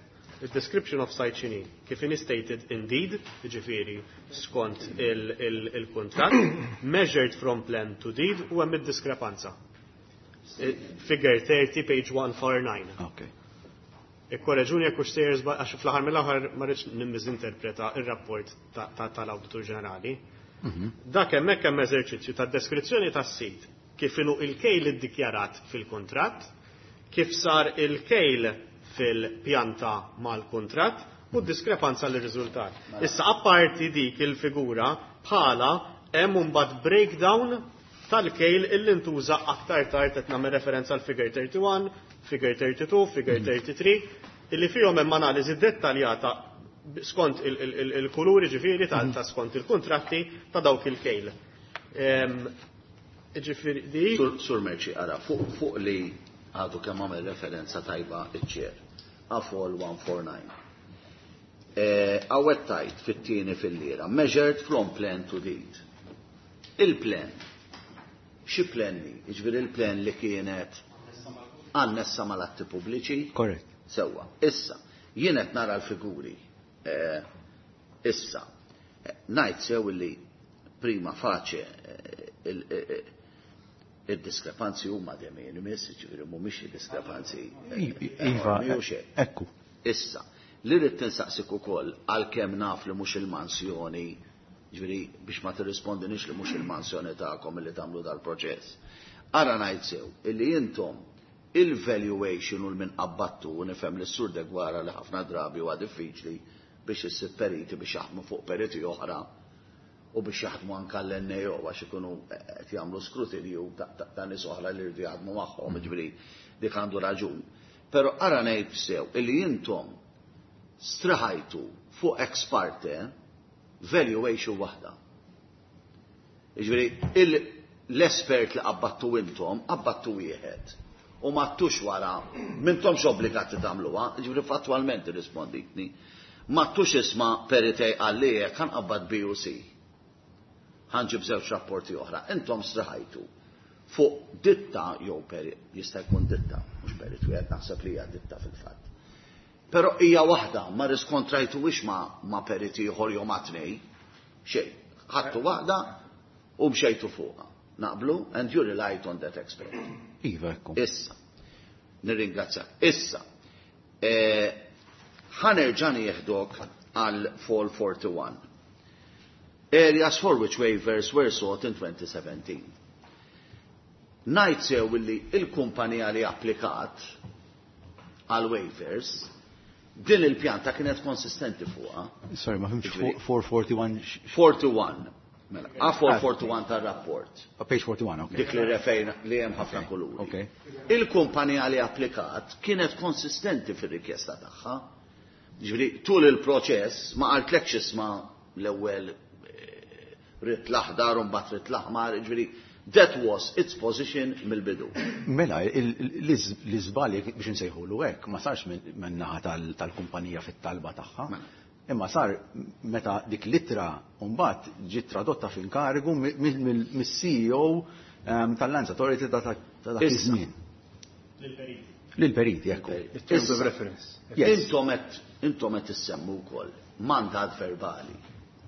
il-description of site x'inhi, kif inhi stated in deed, jiġifieri skont il-contract, measured from plan to deed u hemm id-diskrepanza. Figure 30, page 149. Okay. Ikkoreġuni jekk hux sejjer żball, għax fl-aħħar mill-aħħar ma rridx nimmiżinterpreta ir-rapport tal-Awditur Ġenerali. Dak hemmhekk hemm eżerċizzju tad-deskrizzjoni tas-sit kif inhu il-kejl iddikjarat fil-kuntratt, kif sar il-kejl fil-pjanta mal-kuntratt u d-diskrepanza li riżultat. Issa apparti dik il-figura bħala hemm imbagħad breakdown tal-kejl illi ntuża aktar tard qed nagħmel referenza għal figure 31, figure 32, figure 33, illi fihom hemm analiżi dettaljata skont il-kuluri ġifieri ta' skont il-kontratti ta' dawk il-kejl. Ġifieri di. Sur Merci, ara, fuq li għadu kemm għamel referenza tajba iċ-chair. AFOL 149. Għawet tajt fit-tieni fil-lira, measured from plan to deed. Il-plan, xi plan li? Jiġifieri il-plan li kienet annessa mal-atti pubbliċi? Korrett. Sewwa. Issa, jien qed nara l-figuri. Issa, ngħid sew li prima facie il-diskrepanzi huma de minimis, ġifieri mhumiex diskrepanzi. Iva, enormi u xejn. ekku. Issa, li rrid tinsaqsik ukoll għalkemm naf li mhux il-mansjoni, ġifieri biex ma tirrispondinix li mhux il-mansjoni tagħkom li tagħmlu dal-proċess. Ara ngħid sew illi intom il-valuation u l-min qabbattu u nifhem li s-sur Degwara li ħafna drabi huwa diffiċli biex issib periti biex jaħdmu fuq periti oħra u biex jaħdmu anka l-NAO għax ikunu qed jagħmlu skrutinju ta' nies oħra li jridu jaħdmu magħhom, ġifieri dik għandu raġun. Però ara ngħid sew illi intom straħajtu fuq ex parte valuation waħda. Ġifieri l-espert li qabbattu intom, qabbattu wieħed. U ma ttux wara, m'intomx obbligati tagħmluha, ġifieri fattwalment irrisponditni. Ma tux isma' perit A qalli hekk, ħa nqabbad B u C. Ħa nġib żewġ rapporti oħra. Intom straħajtu fuq ditta jew perit, jista' jkun ditta, mhux perit wieħed, naħseb li hija ditta fil-fatt. Però hija waħda, ma riskontrajtuwix ma periti ieħor jew ma tnej. Xejn. Ħadtu waħda u mxejtu fuqha. Naqblu? And you relied on that expert. Iva, ekku. Issa. Nirringrazzjak. Issa. Ħa nerġa' nieħdok għal 441. Areas for which waivers were sought in 2017. Ngħid sew li il-kumpanija li applikat għal waivers din il-pjanta kienet konsistenti fuqha. Sorry, ma fhimtx 441. 41. Mela, A441 tar-rapport. Page 41, ok. Dik li refejna li hemm ħafna kuluri. Ok. Il-kumpanija li applikat kienet konsistenti fir-rikjesta tagħha. Ġifieri tul il-proċess ma qaltlekx isma' l-ewwel ridt l-aħdar u mbagħad ridt l-aħmar, ġifieri that was its position mill-bidu. Mela, l-iżbal biex nsejħulu hekk ma sarx minn naħa tal-kumpanija fit-talba tagħha. Imma sar meta dik l-ittra mbagħad ġiet tradotta f'inkarigu mis-CEO tal-Lands Authority ta' dak iż-żmien. Lil-periti, ekku. Terms of reference. Intom qed issemmu wkoll mandat verbali.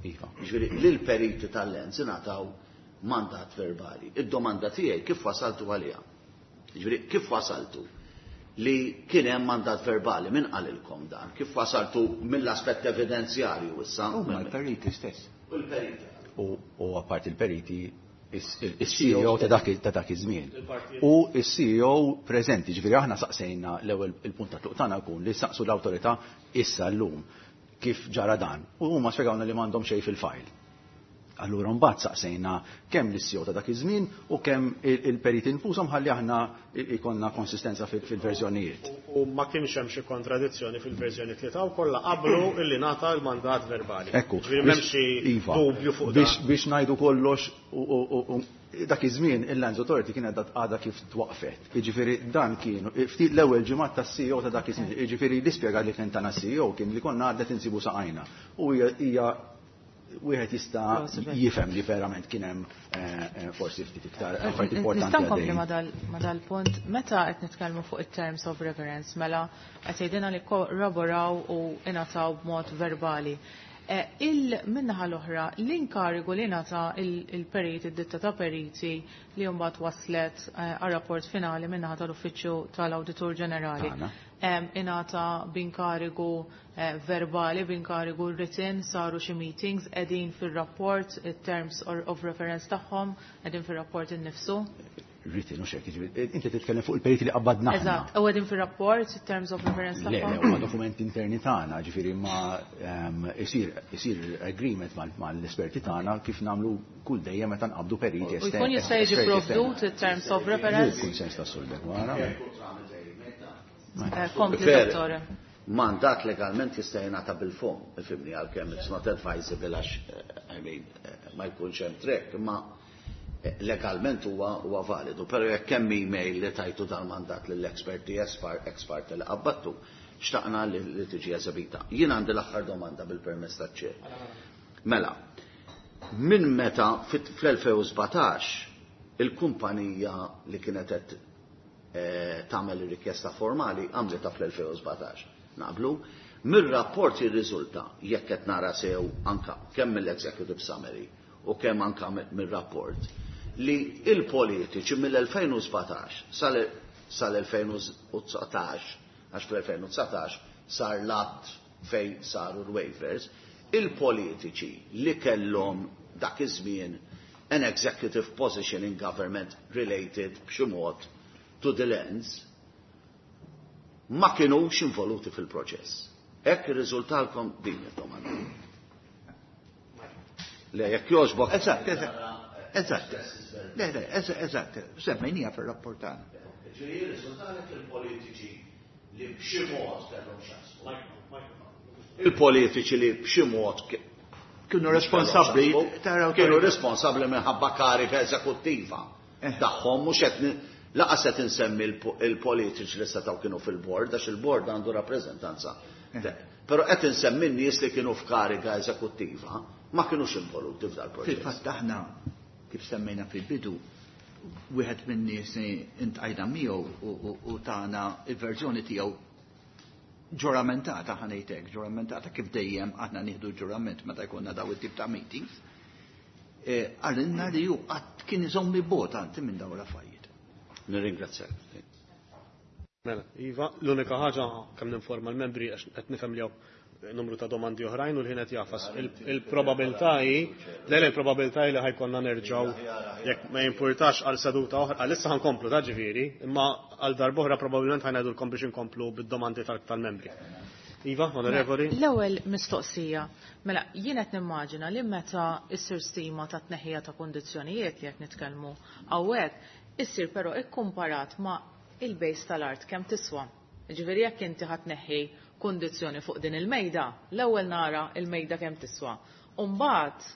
Iva. Ġifieri lil-periti tal-Lands ingħataw mandat verbali. Id-domanda tiegħi kif wasaltu għaliha? Ġifieri kif wasaltu li kien hemm mandat verbali, min qalilkom dan? Kif wasaltu mill-aspett evidenzjarju issa? Huma l-periti stess. U l-periti. U apparti il-periti il-CEO ta' dak iż-żmien. U il-CEO preżenti, ġifieri aħna saqsejna l-ewwel il-punt ta' tluq tagħna jkun li saqsu l-awtorità issa llum kif ġara dan. U huma spjegawna li m'għandhom xejn fil-file. Allura mbagħad saqsejna kemm l-CEO ta' dak iż-żmien u kemm il-periti infushom ħalli aħna ikonna konsistenza fil-verżjonijiet. U ma kienx hemm xi kontradizzjoni fil-verżjoni li taw, kollha qablu illi ngħata l-mandat verbali. Ekku. Ġifieri m'hemm xi dubju fuq dan. Biex ngħidu kollox u dak iż-żmien il-Lands Authority kienet għadha kif twaqfet. Jiġifieri dan kienu ftit l-ewwel ġimgħat tas-CEO ta' dak iż-żmien. Jiġifieri l-ispjega li kien tana CEO kien li konna għadna insibu saqajna. U hija wieħed jista' jifhem li verament kien hemm forsi ftit iktar affarijiet importanti. Nista' nkompli ma' dal-punt, meta qed nitkellmu fuq it-terms of reference, mela qed jgħidilna li korroboraw u ingħataw b'mod verbali. Il-minnaħa l-oħra, l-inkarigu li ngħata il-periti, id-ditta ta' periti li mbagħad waslet għar-rapport finali minnaħa tal-Uffiċċju tal-Awditur Ġenerali. Ingħata b'inkarigu verbali, b'inkarigu written, saru xi meetings, qegħdin fir-rapport, it-terms of reference tagħhom, qegħdin fir-rapport innifsu. Written, u xek, inti titkellem fuq il-periti li qabbadna. Eżatt, u qegħdin fir-rapport, terms of reference Le, tagħhom. Le, huma dokumenti interni tagħna, ġifieri ma isir agreement mal-esperti tagħna kif nagħmlu kull dejjem meta nqabdu periti U jkun jista' jiġi esterni. provdut it-terms of reference? Il-kunsens tas-Sur Deguara. Kompli, dottore. Mandat legalment jista' jingħata bil-fom, ifhimni, għalkemm it's not advisable għax I mean, ma jkunx hemm track, imma legalment huwa validu, però jekk hemm email li tajtu dal-mandat lill-esperti expert li qabbattu, xtaqna li tiġi eżebita. Jien għandi l-aħħar domanda bil-permess taċ-ċer. Mela, minn meta fl-2017 il-kumpanija li kienet qed tagħmel ir-rikjesta formali għamlitha fl-2017. Naqblu, mir-rapport jirriżulta jekk qed nara sew anka kemm mill-executive summary u kemm anka mir-rapport li il-politiċi mill-2017 sal-2019, għax fl-2019 sar l-att fej saru l-waivers, il-politiċi li kellhom dak iż-żmien an executive position in government related b'xi mod to the lands ma kienux involuti fil-proċess. Hekk irriżultalkom din id-domanda. Le, jekk jogħġbok. Eżatt, eżatt. Eżatt. Le, le, eżatt. Semmejnija fir-rapport tagħna. Ġifieri jirriżultalek il-politiċi li b'xi mod kellhom x'jaqsmu. Il-politiċi li b'xi mod kienu responsabbli, kienu responsabbli minħabba karika eżekuttiva tagħhom, mhux qed laqas qed insemmi il-politiċi li setgħu kienu fil-bord, għax il-bord għandu rappreżentanza Però qed insemmi n-nies li kienu f'kariga eżekuttiva ma kinux involuti f'dal proċess. Fil-fatt aħna kif semmejna fil-bidu wieħed minn nies li ltqajna miegħu u tana il-verżjoni tiegħu ġuramentata, ħa ngħidlek, ġuramentata kif dejjem aħna nieħdu ġurament meta jkollna daw it-tip ta' meetings. Qalilna li hu qatt kien iżomm bogħod anti minn dawn l-affarijiet. Nirringrazzjak. Mela, iva, l-unika ħaġa kemm ninforma l-membri għax qed nifhem li hawn numru ta' domandi oħrajn u l-ħin qed jagħfas. Il-probabilità hi, le il-probabilità hi li ħa jkollna nerġgħu jekk ma jimpurtax għal seduta oħra, għal issa ħa nkomplu ta' ġifieri, imma għal darb'oħra probabbilment ħa ngħidulkom biex inkomplu bid-domandi tal-membri. Iva, onorevoli. L-ewwel mistoqsija. Mela, jien qed nimmaġina li meta issir stima ta' tneħħija ta' kundizzjonijiet li qed nitkellmu hawnhekk, issir però ikkumparat ma' il-base tal-art kemm tiswa. Ġifieri jekk inti ħa tneħħi kundizzjoni fuq din il-mejda, l-ewwel nara il-mejda kemm tiswa. U mbagħad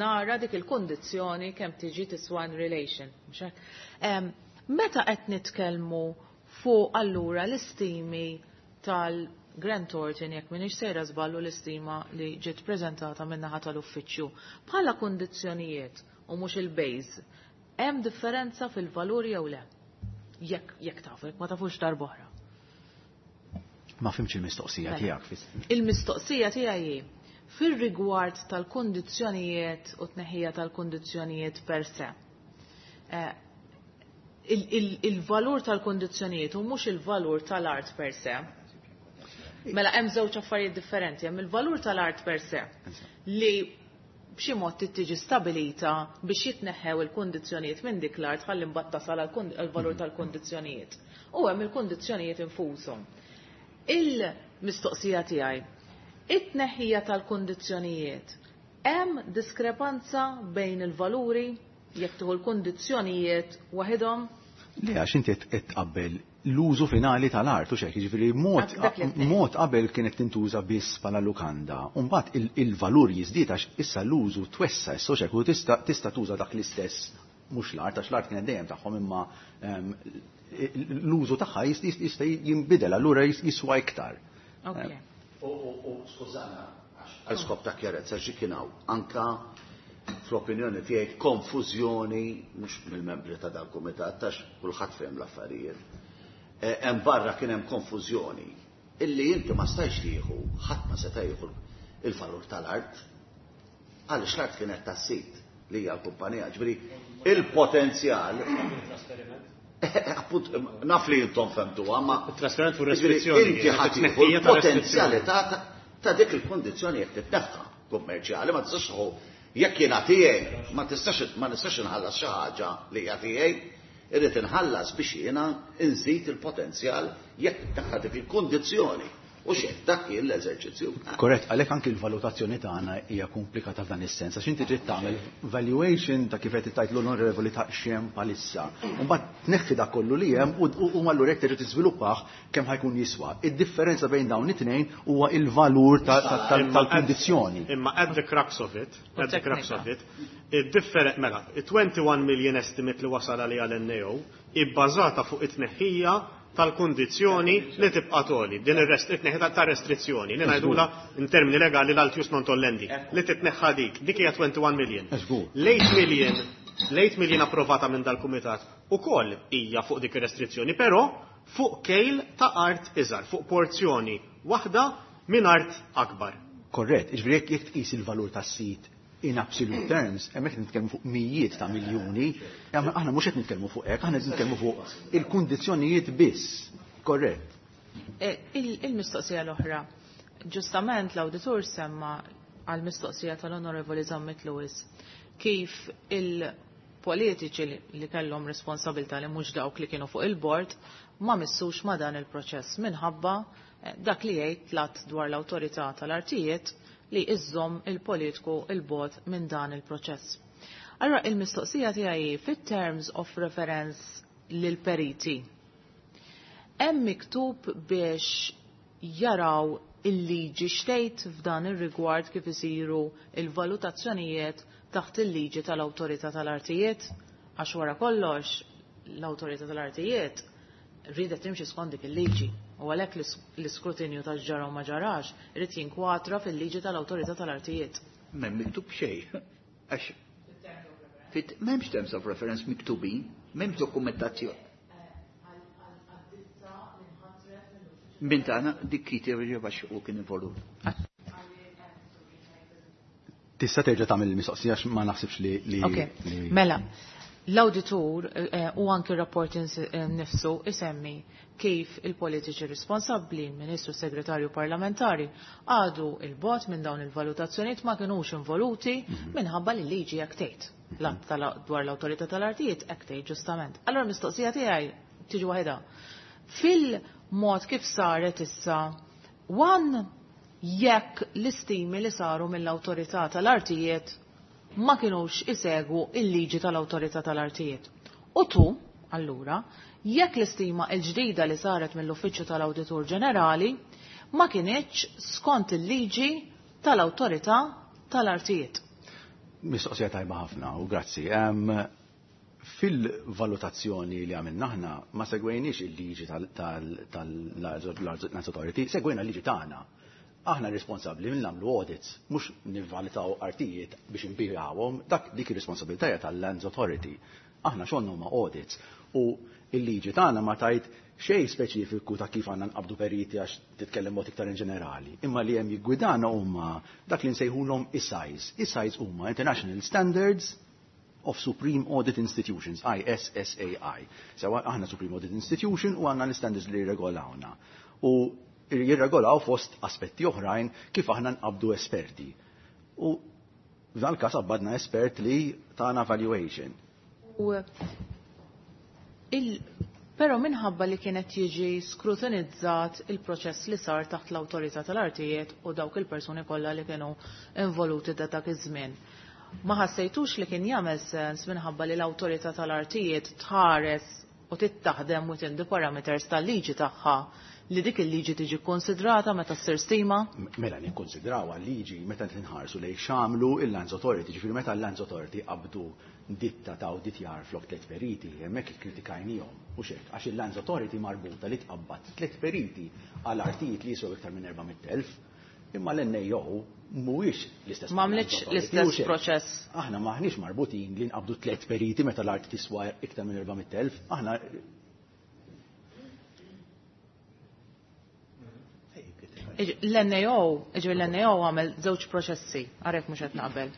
nara dik il-kundizzjoni kemm tiġi tiswa in relation. Mhux hekk? Meta qed nitkellmu fuq allura l-istimi tal-Grant Thornton, jekk m'iniex sejra żballu l-istima li ġiet preżentata min-naħa tal-uffiċċju, bħala kundizzjonijiet u mhux il-base, hemm differenza fil-valuri jew le? Jekk tafu, jekk ma tafux darb'oħra. Ma fhimtx il-mistoqsija Mela. tiegħek fis- Il-mistoqsija tiegħi hi fir-rigward tal-kundizzjonijiet u tneħħija tal-kundizzjonijiet per se. Il-valur tal-kundizzjonijiet u mhux il-valur tal-art per se. Mela hemm żewġ affarijiet differenti, hemm il-valur tal-art per se li b'xi mod trid tiġi stabilita biex jitneħħew il-kundizzjonijiet minn dik l-art ħalli mbagħad tasal għall-valur tal-kundizzjonijiet. U hemm il-kundizzjonijiet infushom. Il-mistoqsija tiegħi, it-tneħħija tal-kundizzjonijiet, hemm diskrepanza bejn il-valuri jekk tieħu l-kundizzjonijiet waħedhom? Le, għax inti qed tqabbel l-użu finali tal-art, u xek, jiġifieri Dak li qed ngħid. mod qabel kienet tintuża biss bħala lukanda, u mbagħad il-valur jiżdied għax issa l-użu twessa issa xek, u tista' tuża dak l-istess, mhux l-art, għax l-art kienet dejjem tagħhom, imma l-użu tagħha jista' jinbidel, allura jiswa iktar. U skużana, għal skop ta' kjarezza xi kien hawn, anka fl-opinjoni tiegħi konfużjoni mhux mill-membri ta' dal-kumitat għax kulħadd fehem l-affarijiet. Hemm barra kien hemm konfużjoni illi inti ma stajx tieħu, ħadd ma seta' jieħu il-valur tal-art għaliex l-art kienet tas-sit li hija l-kumpanija, ġifieri il-potenzjal. Appunt, naf li intom fhemtuha, ma Il-trasferiment fuq ġifieri restrizzjoni, inti ħadd it-tneħħija tieħu ta' l-potenzjalità ta' dik il-kondizzjoni jekk titneħħa kummerċjali, ma tistax tieħu jekk jiena tiegħi, ma nistax inħallas xi ħaġa li hija tiegħi, irrid inħallas biex jiena nżid il-potenzjal jekk titneħħa dik il-kondizzjoni. U xejn, dak kien l-eżerċizzju. Korrett, għalhekk anki l-valutazzjoni tagħna hija komplikata f'dan is-sens, għax inti trid tagħmel valuation ta' kif qed tgħid l-onorevoli ta' x'hemm bħalissa. U mbagħad tneħħi dak kollu li hemm u allura jekk terġa' tiżviluppah kemm ħa jkun jiswa. Id-differenza bejn dawn it-tnejn huwa il-valur tal-kundizzjoni. Imma at the crux of it, at the crux of it, id-differen-, mela, 21 million estimate li wasal għalija l-NAO ibbażata fuq it-tneħħija tal-kundizzjoni li tibqa' toli, din it-tneħħija ta' restrizzjoni, li ngħidula in termini legali l-altius non tollendi, li titneħħa dik, dik hija 21 million. L-8 million, l-8 million approvata minn dal-kumitat ukoll hija fuq dik ir-restrizzjoni, però fuq kejl ta' art iżgħar, fuq porzjoni waħda minn art akbar. Korrett, jiġifieri jekk tqis il-valur tas-sit in absolute terms, hemmhekk nitkellmu fuq mijiet ta' miljuni, aħna mhux qed nitkellmu fuq hekk, aħna qed nitkellmu fuq il-kundizzjonijiet biss. Korrett. Il-mistoqsija l-oħra. Ġustament l-awditur semma għal-mistoqsija tal-Onorevoli Zammit Lewis kif il-politiċi li kellhom responsabilità li mhux dawk li kienu fuq il-bord ma missux ma dan il-proċess minħabba dak li jgħid l-att dwar l-awtorità tal-artijiet li iżżomm il-politiku il-bogħod minn dan il-proċess. Allora il-mistoqsija tiegħi fit-terms of reference lil-periti. Hemm miktub biex jaraw il-liġi xtejt f'dan ir-rigward kif isiru il-valutazzjonijiet taħt il-liġi tal-awtorità tal-artijiet, għax wara kollox l-awtorità tal-artijiet ridet timxi skont dik il-liġi. U għalhekk l-iskrutinju ta' ġara u ma ġarax irid jinkwatra fil-liġi tal-Awtorità tal-Artijiet. M'hemm miktub xejn. Għax m'hemmx terms of reference miktubin, m'hemmx dokumentazzjoni. Min tagħna dik Kiti għax u kien involut. Tista' terġa' tagħmel il-mistoqsija għax ma naħsibx li Ok, mela, l-awditur u anki r-rapport nifsu isemmi kif il-politiċi responsabbli, il-Ministru Segretarju Parlamentari, għadu il-bot minn dawn il-valutazzjonijiet ma kienux involuti minħabba li liġi hekk tgħid. L-att dwar l-awtorità tal-artijiet hekk tgħid ġustament. Allora mistoqsija tiegħi tiġi waħedha. Fil-mod kif saret issa, one jekk l-istimi li saru mill-awtorità tal-artijiet ma kienux isegwu il-liġi tal-awtorità tal-artijiet. U tu, allura, jekk l-istima l-ġdida li saret mill-Uffiċċju tal-Awditur Ġenerali ma kinitx skont il-liġi tal-awtorità tal-artijiet. Mistoqsija tajba ħafna u grazzi. Fil-valutazzjoni li għamilna aħna ma segwejniex il-liġi tal-Lands Authority, segwejna l-liġi tagħna. Aħna responsabbli minn nagħmlu audits, mhux nivvalutaw artijiet biex nbigħuhom, dak dik ir-responsabilità tal-Lands Authority. Aħna xogħolna huma audits u il-liġi tagħna ma tajt xejn speċifiku ta' kif għandna nqabdu periti għax titkellem mod iktar in ġenerali. Imma li hemm jiggwidana huma dak li nsejħulhom ISAIs. ISAIs huma International Standards of Supreme Audit Institutions, ISSAI. Sewa aħna Supreme Audit Institution u għandna l-standards li jirregolawna. U jirregolaw fost aspetti oħrajn kif aħna nqabdu esperti. U f'dan il-każ qabbadna espert li tana valuation. U però minħabba li kienet jiġi skrutinizzat il-proċess li sar taħt l-awtorità tal-artijiet u dawk il-persuni kollha li kienu involuti da dak iż-żmien. Ma ħassejtux li kien jagħmel sens minħabba li l-awtorità tal-artijiet tħares u tittaħdem within the parameters tal-liġi tagħha li dik il-liġi tiġi konsidrata meta ssir stima? Mela nikkonsidraw liġi meta tinħarsu lejn x'għamlu il-Lands Authority, ġifieri meta l-Lands Authority qabdu ditta ta' awditjar flok tliet periti, hemmhekk ikkritikajnihom u xek, għax il-Lands Authority marbuta li tqabbad tliet periti għal artijiet li jiswew iktar minn 400,000, imma l-NAO mhuwiex l-istess. Ma għamlitx l-istess proċess. Aħna maħniex marbutin li nqabdu tliet periti meta l-art tiswa iktar minn 400,000, aħna L-NAO, ġifieri l-NAO għamel żewġ proċessi, għarek mhux qed naqbel.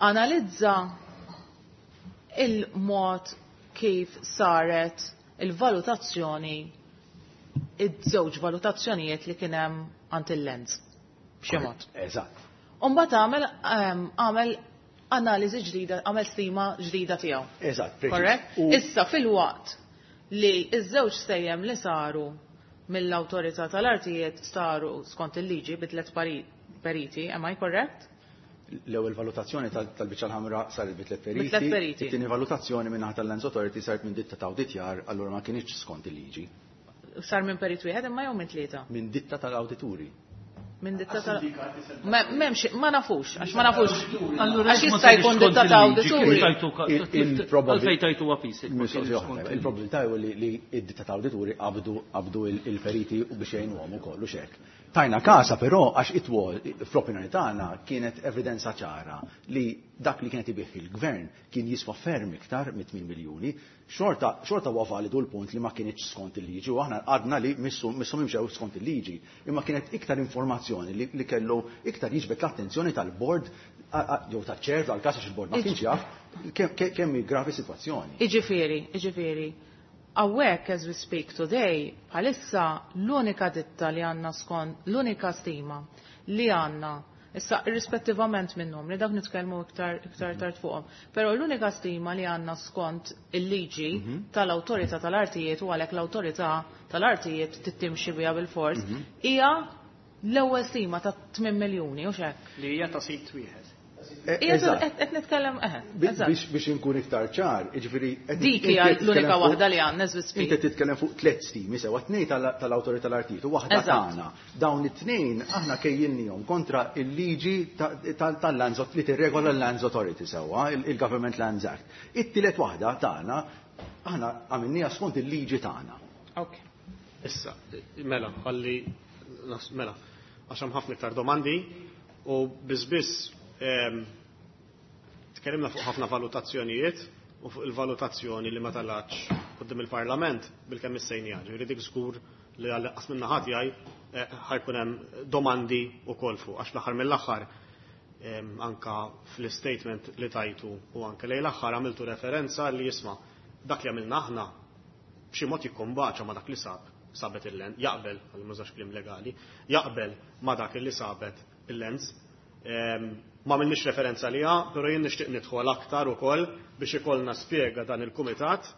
Analizza il-mod kif saret il-valutazzjoni, iż-żewġ valutazzjonijiet li kien hemm għand il-Lands. B'xi mod. Eżatt. U mbagħad għamel analiżi ġdida, għamel stima ġdida tiegħu. Eżatt, preċiż. Korrett? Issa fil-waqt li iż-żewġ sejjem li saru mill-awtorità tal-artijiet saru skont il-liġi bi tliet periti, am I correct? L-ewwel valutazzjoni tal-biċċa l-ħamra saret bi tliet periti. Bi tliet periti. It-tieni valutazzjoni minn naħa tal-Lands Authority saret minn ditta ta' awditjar, allura ma kienx skont il-liġi. Sar minn perit wieħed imma jew minn tlieta? Minn ditta tal-awdituri. Minn ditta tal- Ma m'hemmx, ma nafux, għax ma nafux. Allura Għax jekk ma jista' jkun sarix ditta skont ta' il-liġi, kif awdituri. Għalfejn tajtu għapis, jekk ma Mistoqsija kienx oħra, skont il-liġi. Il-probabilità hu li id-ditta ta' awdituri qabdu il-periti u biex jgħinuhom ukoll u xek. Tajna kasa però għax itwol fl-opinjoni tagħna kienet evidenza ċara li dak li kienet ibih il-gvern kien jiswa ferm iktar mit 8 miljuni, xorta huwa validu l-punt li ma kienx skont il-liġi u aħna għadna li missu imxew skont il-liġi, imma kienet iktar informazzjoni li kellu iktar jiġbed l-attenzjoni tal-bord jew taċ-ċer tal-każ għax il-bord ma kienx jaf kemm hi gravi sitwazzjoni. Iġifieri, hawnhekk as we speak today, bħalissa l-unika ditta li għandna skont, l-unika stima li għandna, issa irrispettivament minn numri, dak nitkellmu iktar tard fuqhom, però l-unika stima li għandna skont il-liġi tal-awtorità tal-artijiet u għalhekk l-awtorità tal-artijiet tittimxi biha bil-fors, hija l-ewwel stima ta' 8 miljuni, u x'hekk? Li hija ta' sit wieħed. Ija, qed nitkellem, eħe, eżatt. Biex inkun iktar ċar, jiġifieri qed Dik hija inti l-unika titkellem fuq waħda li għandna, as we speak. Inti titkellem fuq tliet stimi, sewa tnejn tal-awtorità tal-artijiet u waħda tagħna. Dawn it-tnejn aħna kejjilnihom kontra il-liġi tal-Lands li tirregola l-Lands Authority sewwa, il-Government Lands Act. It-tielet waħda tagħna aħna għamilniha skont il-liġi tagħna. Ok. Issa, mela, ħalli, mela, għax hemm ħafna iktar domandi u biss tkellimna fuq ħafna valutazzjonijiet u fuq il-valutazzjoni li ma talatx quddiem il-Parlament bilkemm issejniha. Ġifieri dik żgur li għall-inqas minn naħa tiegħi ħajkun hemm domandi wkoll fuq għax fl-aħħar mill-aħħar anka fl-statement li tajtu u anke lejn l-aħħar għamiltu referenza li jisma' dak li għamilna aħna b'xi mod jikkombaċa ma' dak li sab sabet il-Lands, jaqbel, għal mużax kliem legali, jaqbel ma' dak li sabet il-Lands. Ma għamilniex referenza liha, però jien nixtieq nidħol aktar ukoll biex ikollna spjega dan il-kumitat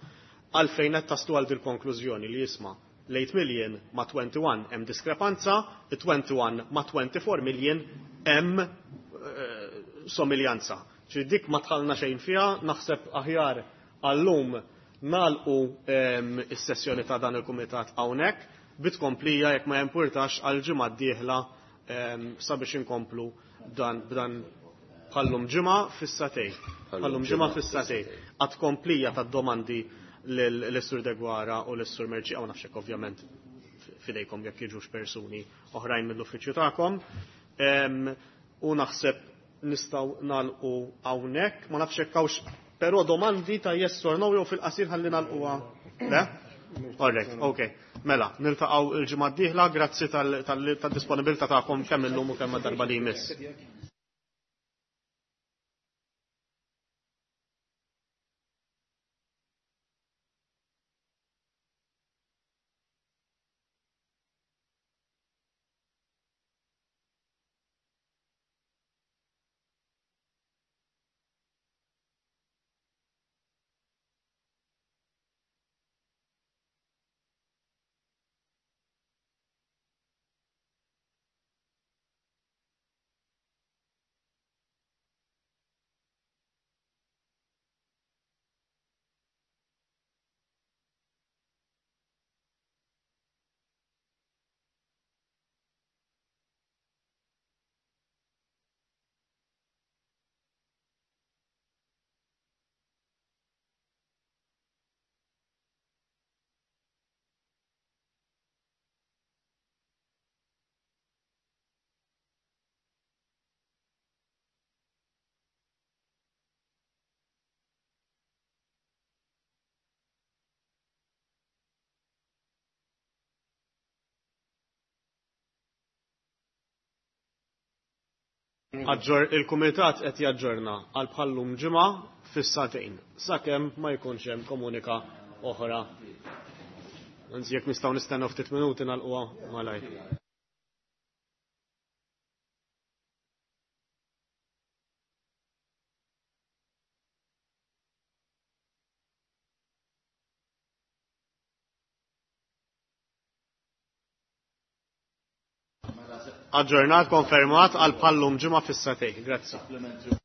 għalfejn qed taslu għal dil-konklużjoni li jisma' l-8 million ma' 21 hemm diskrepanza, 21 ma' 24 million hemm somiljanza. Ġi dik ma tħallna xejn fiha, naħseb aħjar għallum nagħlqu is-sessjoni ta' dan il-kumitat hawnhekk bitkomplija jekk ma jimpurtax għal ġimgħa d-dieħla sabiex inkomplu dan b'dan bħallum ġimgħa fis-satej. Bħallum ġimgħa fis-satej. Għad komplija tad-domandi l-Sur Degwara u l-Sur Merċi, għaw nafxek ovvjament fidejkom jekk jiġux persuni oħrajn mill-uffiċċju tagħkom. U naħseb nistgħu nagħlqu hawnhekk, ma nafx hekk hawnx però domandi ta' yes or no jew fil-qasir ħalli nagħlquha. Le? Alright, ok. Mela, niltaqgħu il-ġimgħa d-dieħla, grazzi tad-disponibilità tagħkom kemm illum u kemm darba li jmiss. Il-Kumitat qed jaġġorna għal bħallum ġimgħa fis-sagħtejn sakemm ma jkunx hemm komunika oħra. Anzi jekk nistgħu nistennew ftit minuti nagħlquha malajr. Aġġornat konfermat għal bħallum ġimgħa fis-sagħtejn. Grazzi.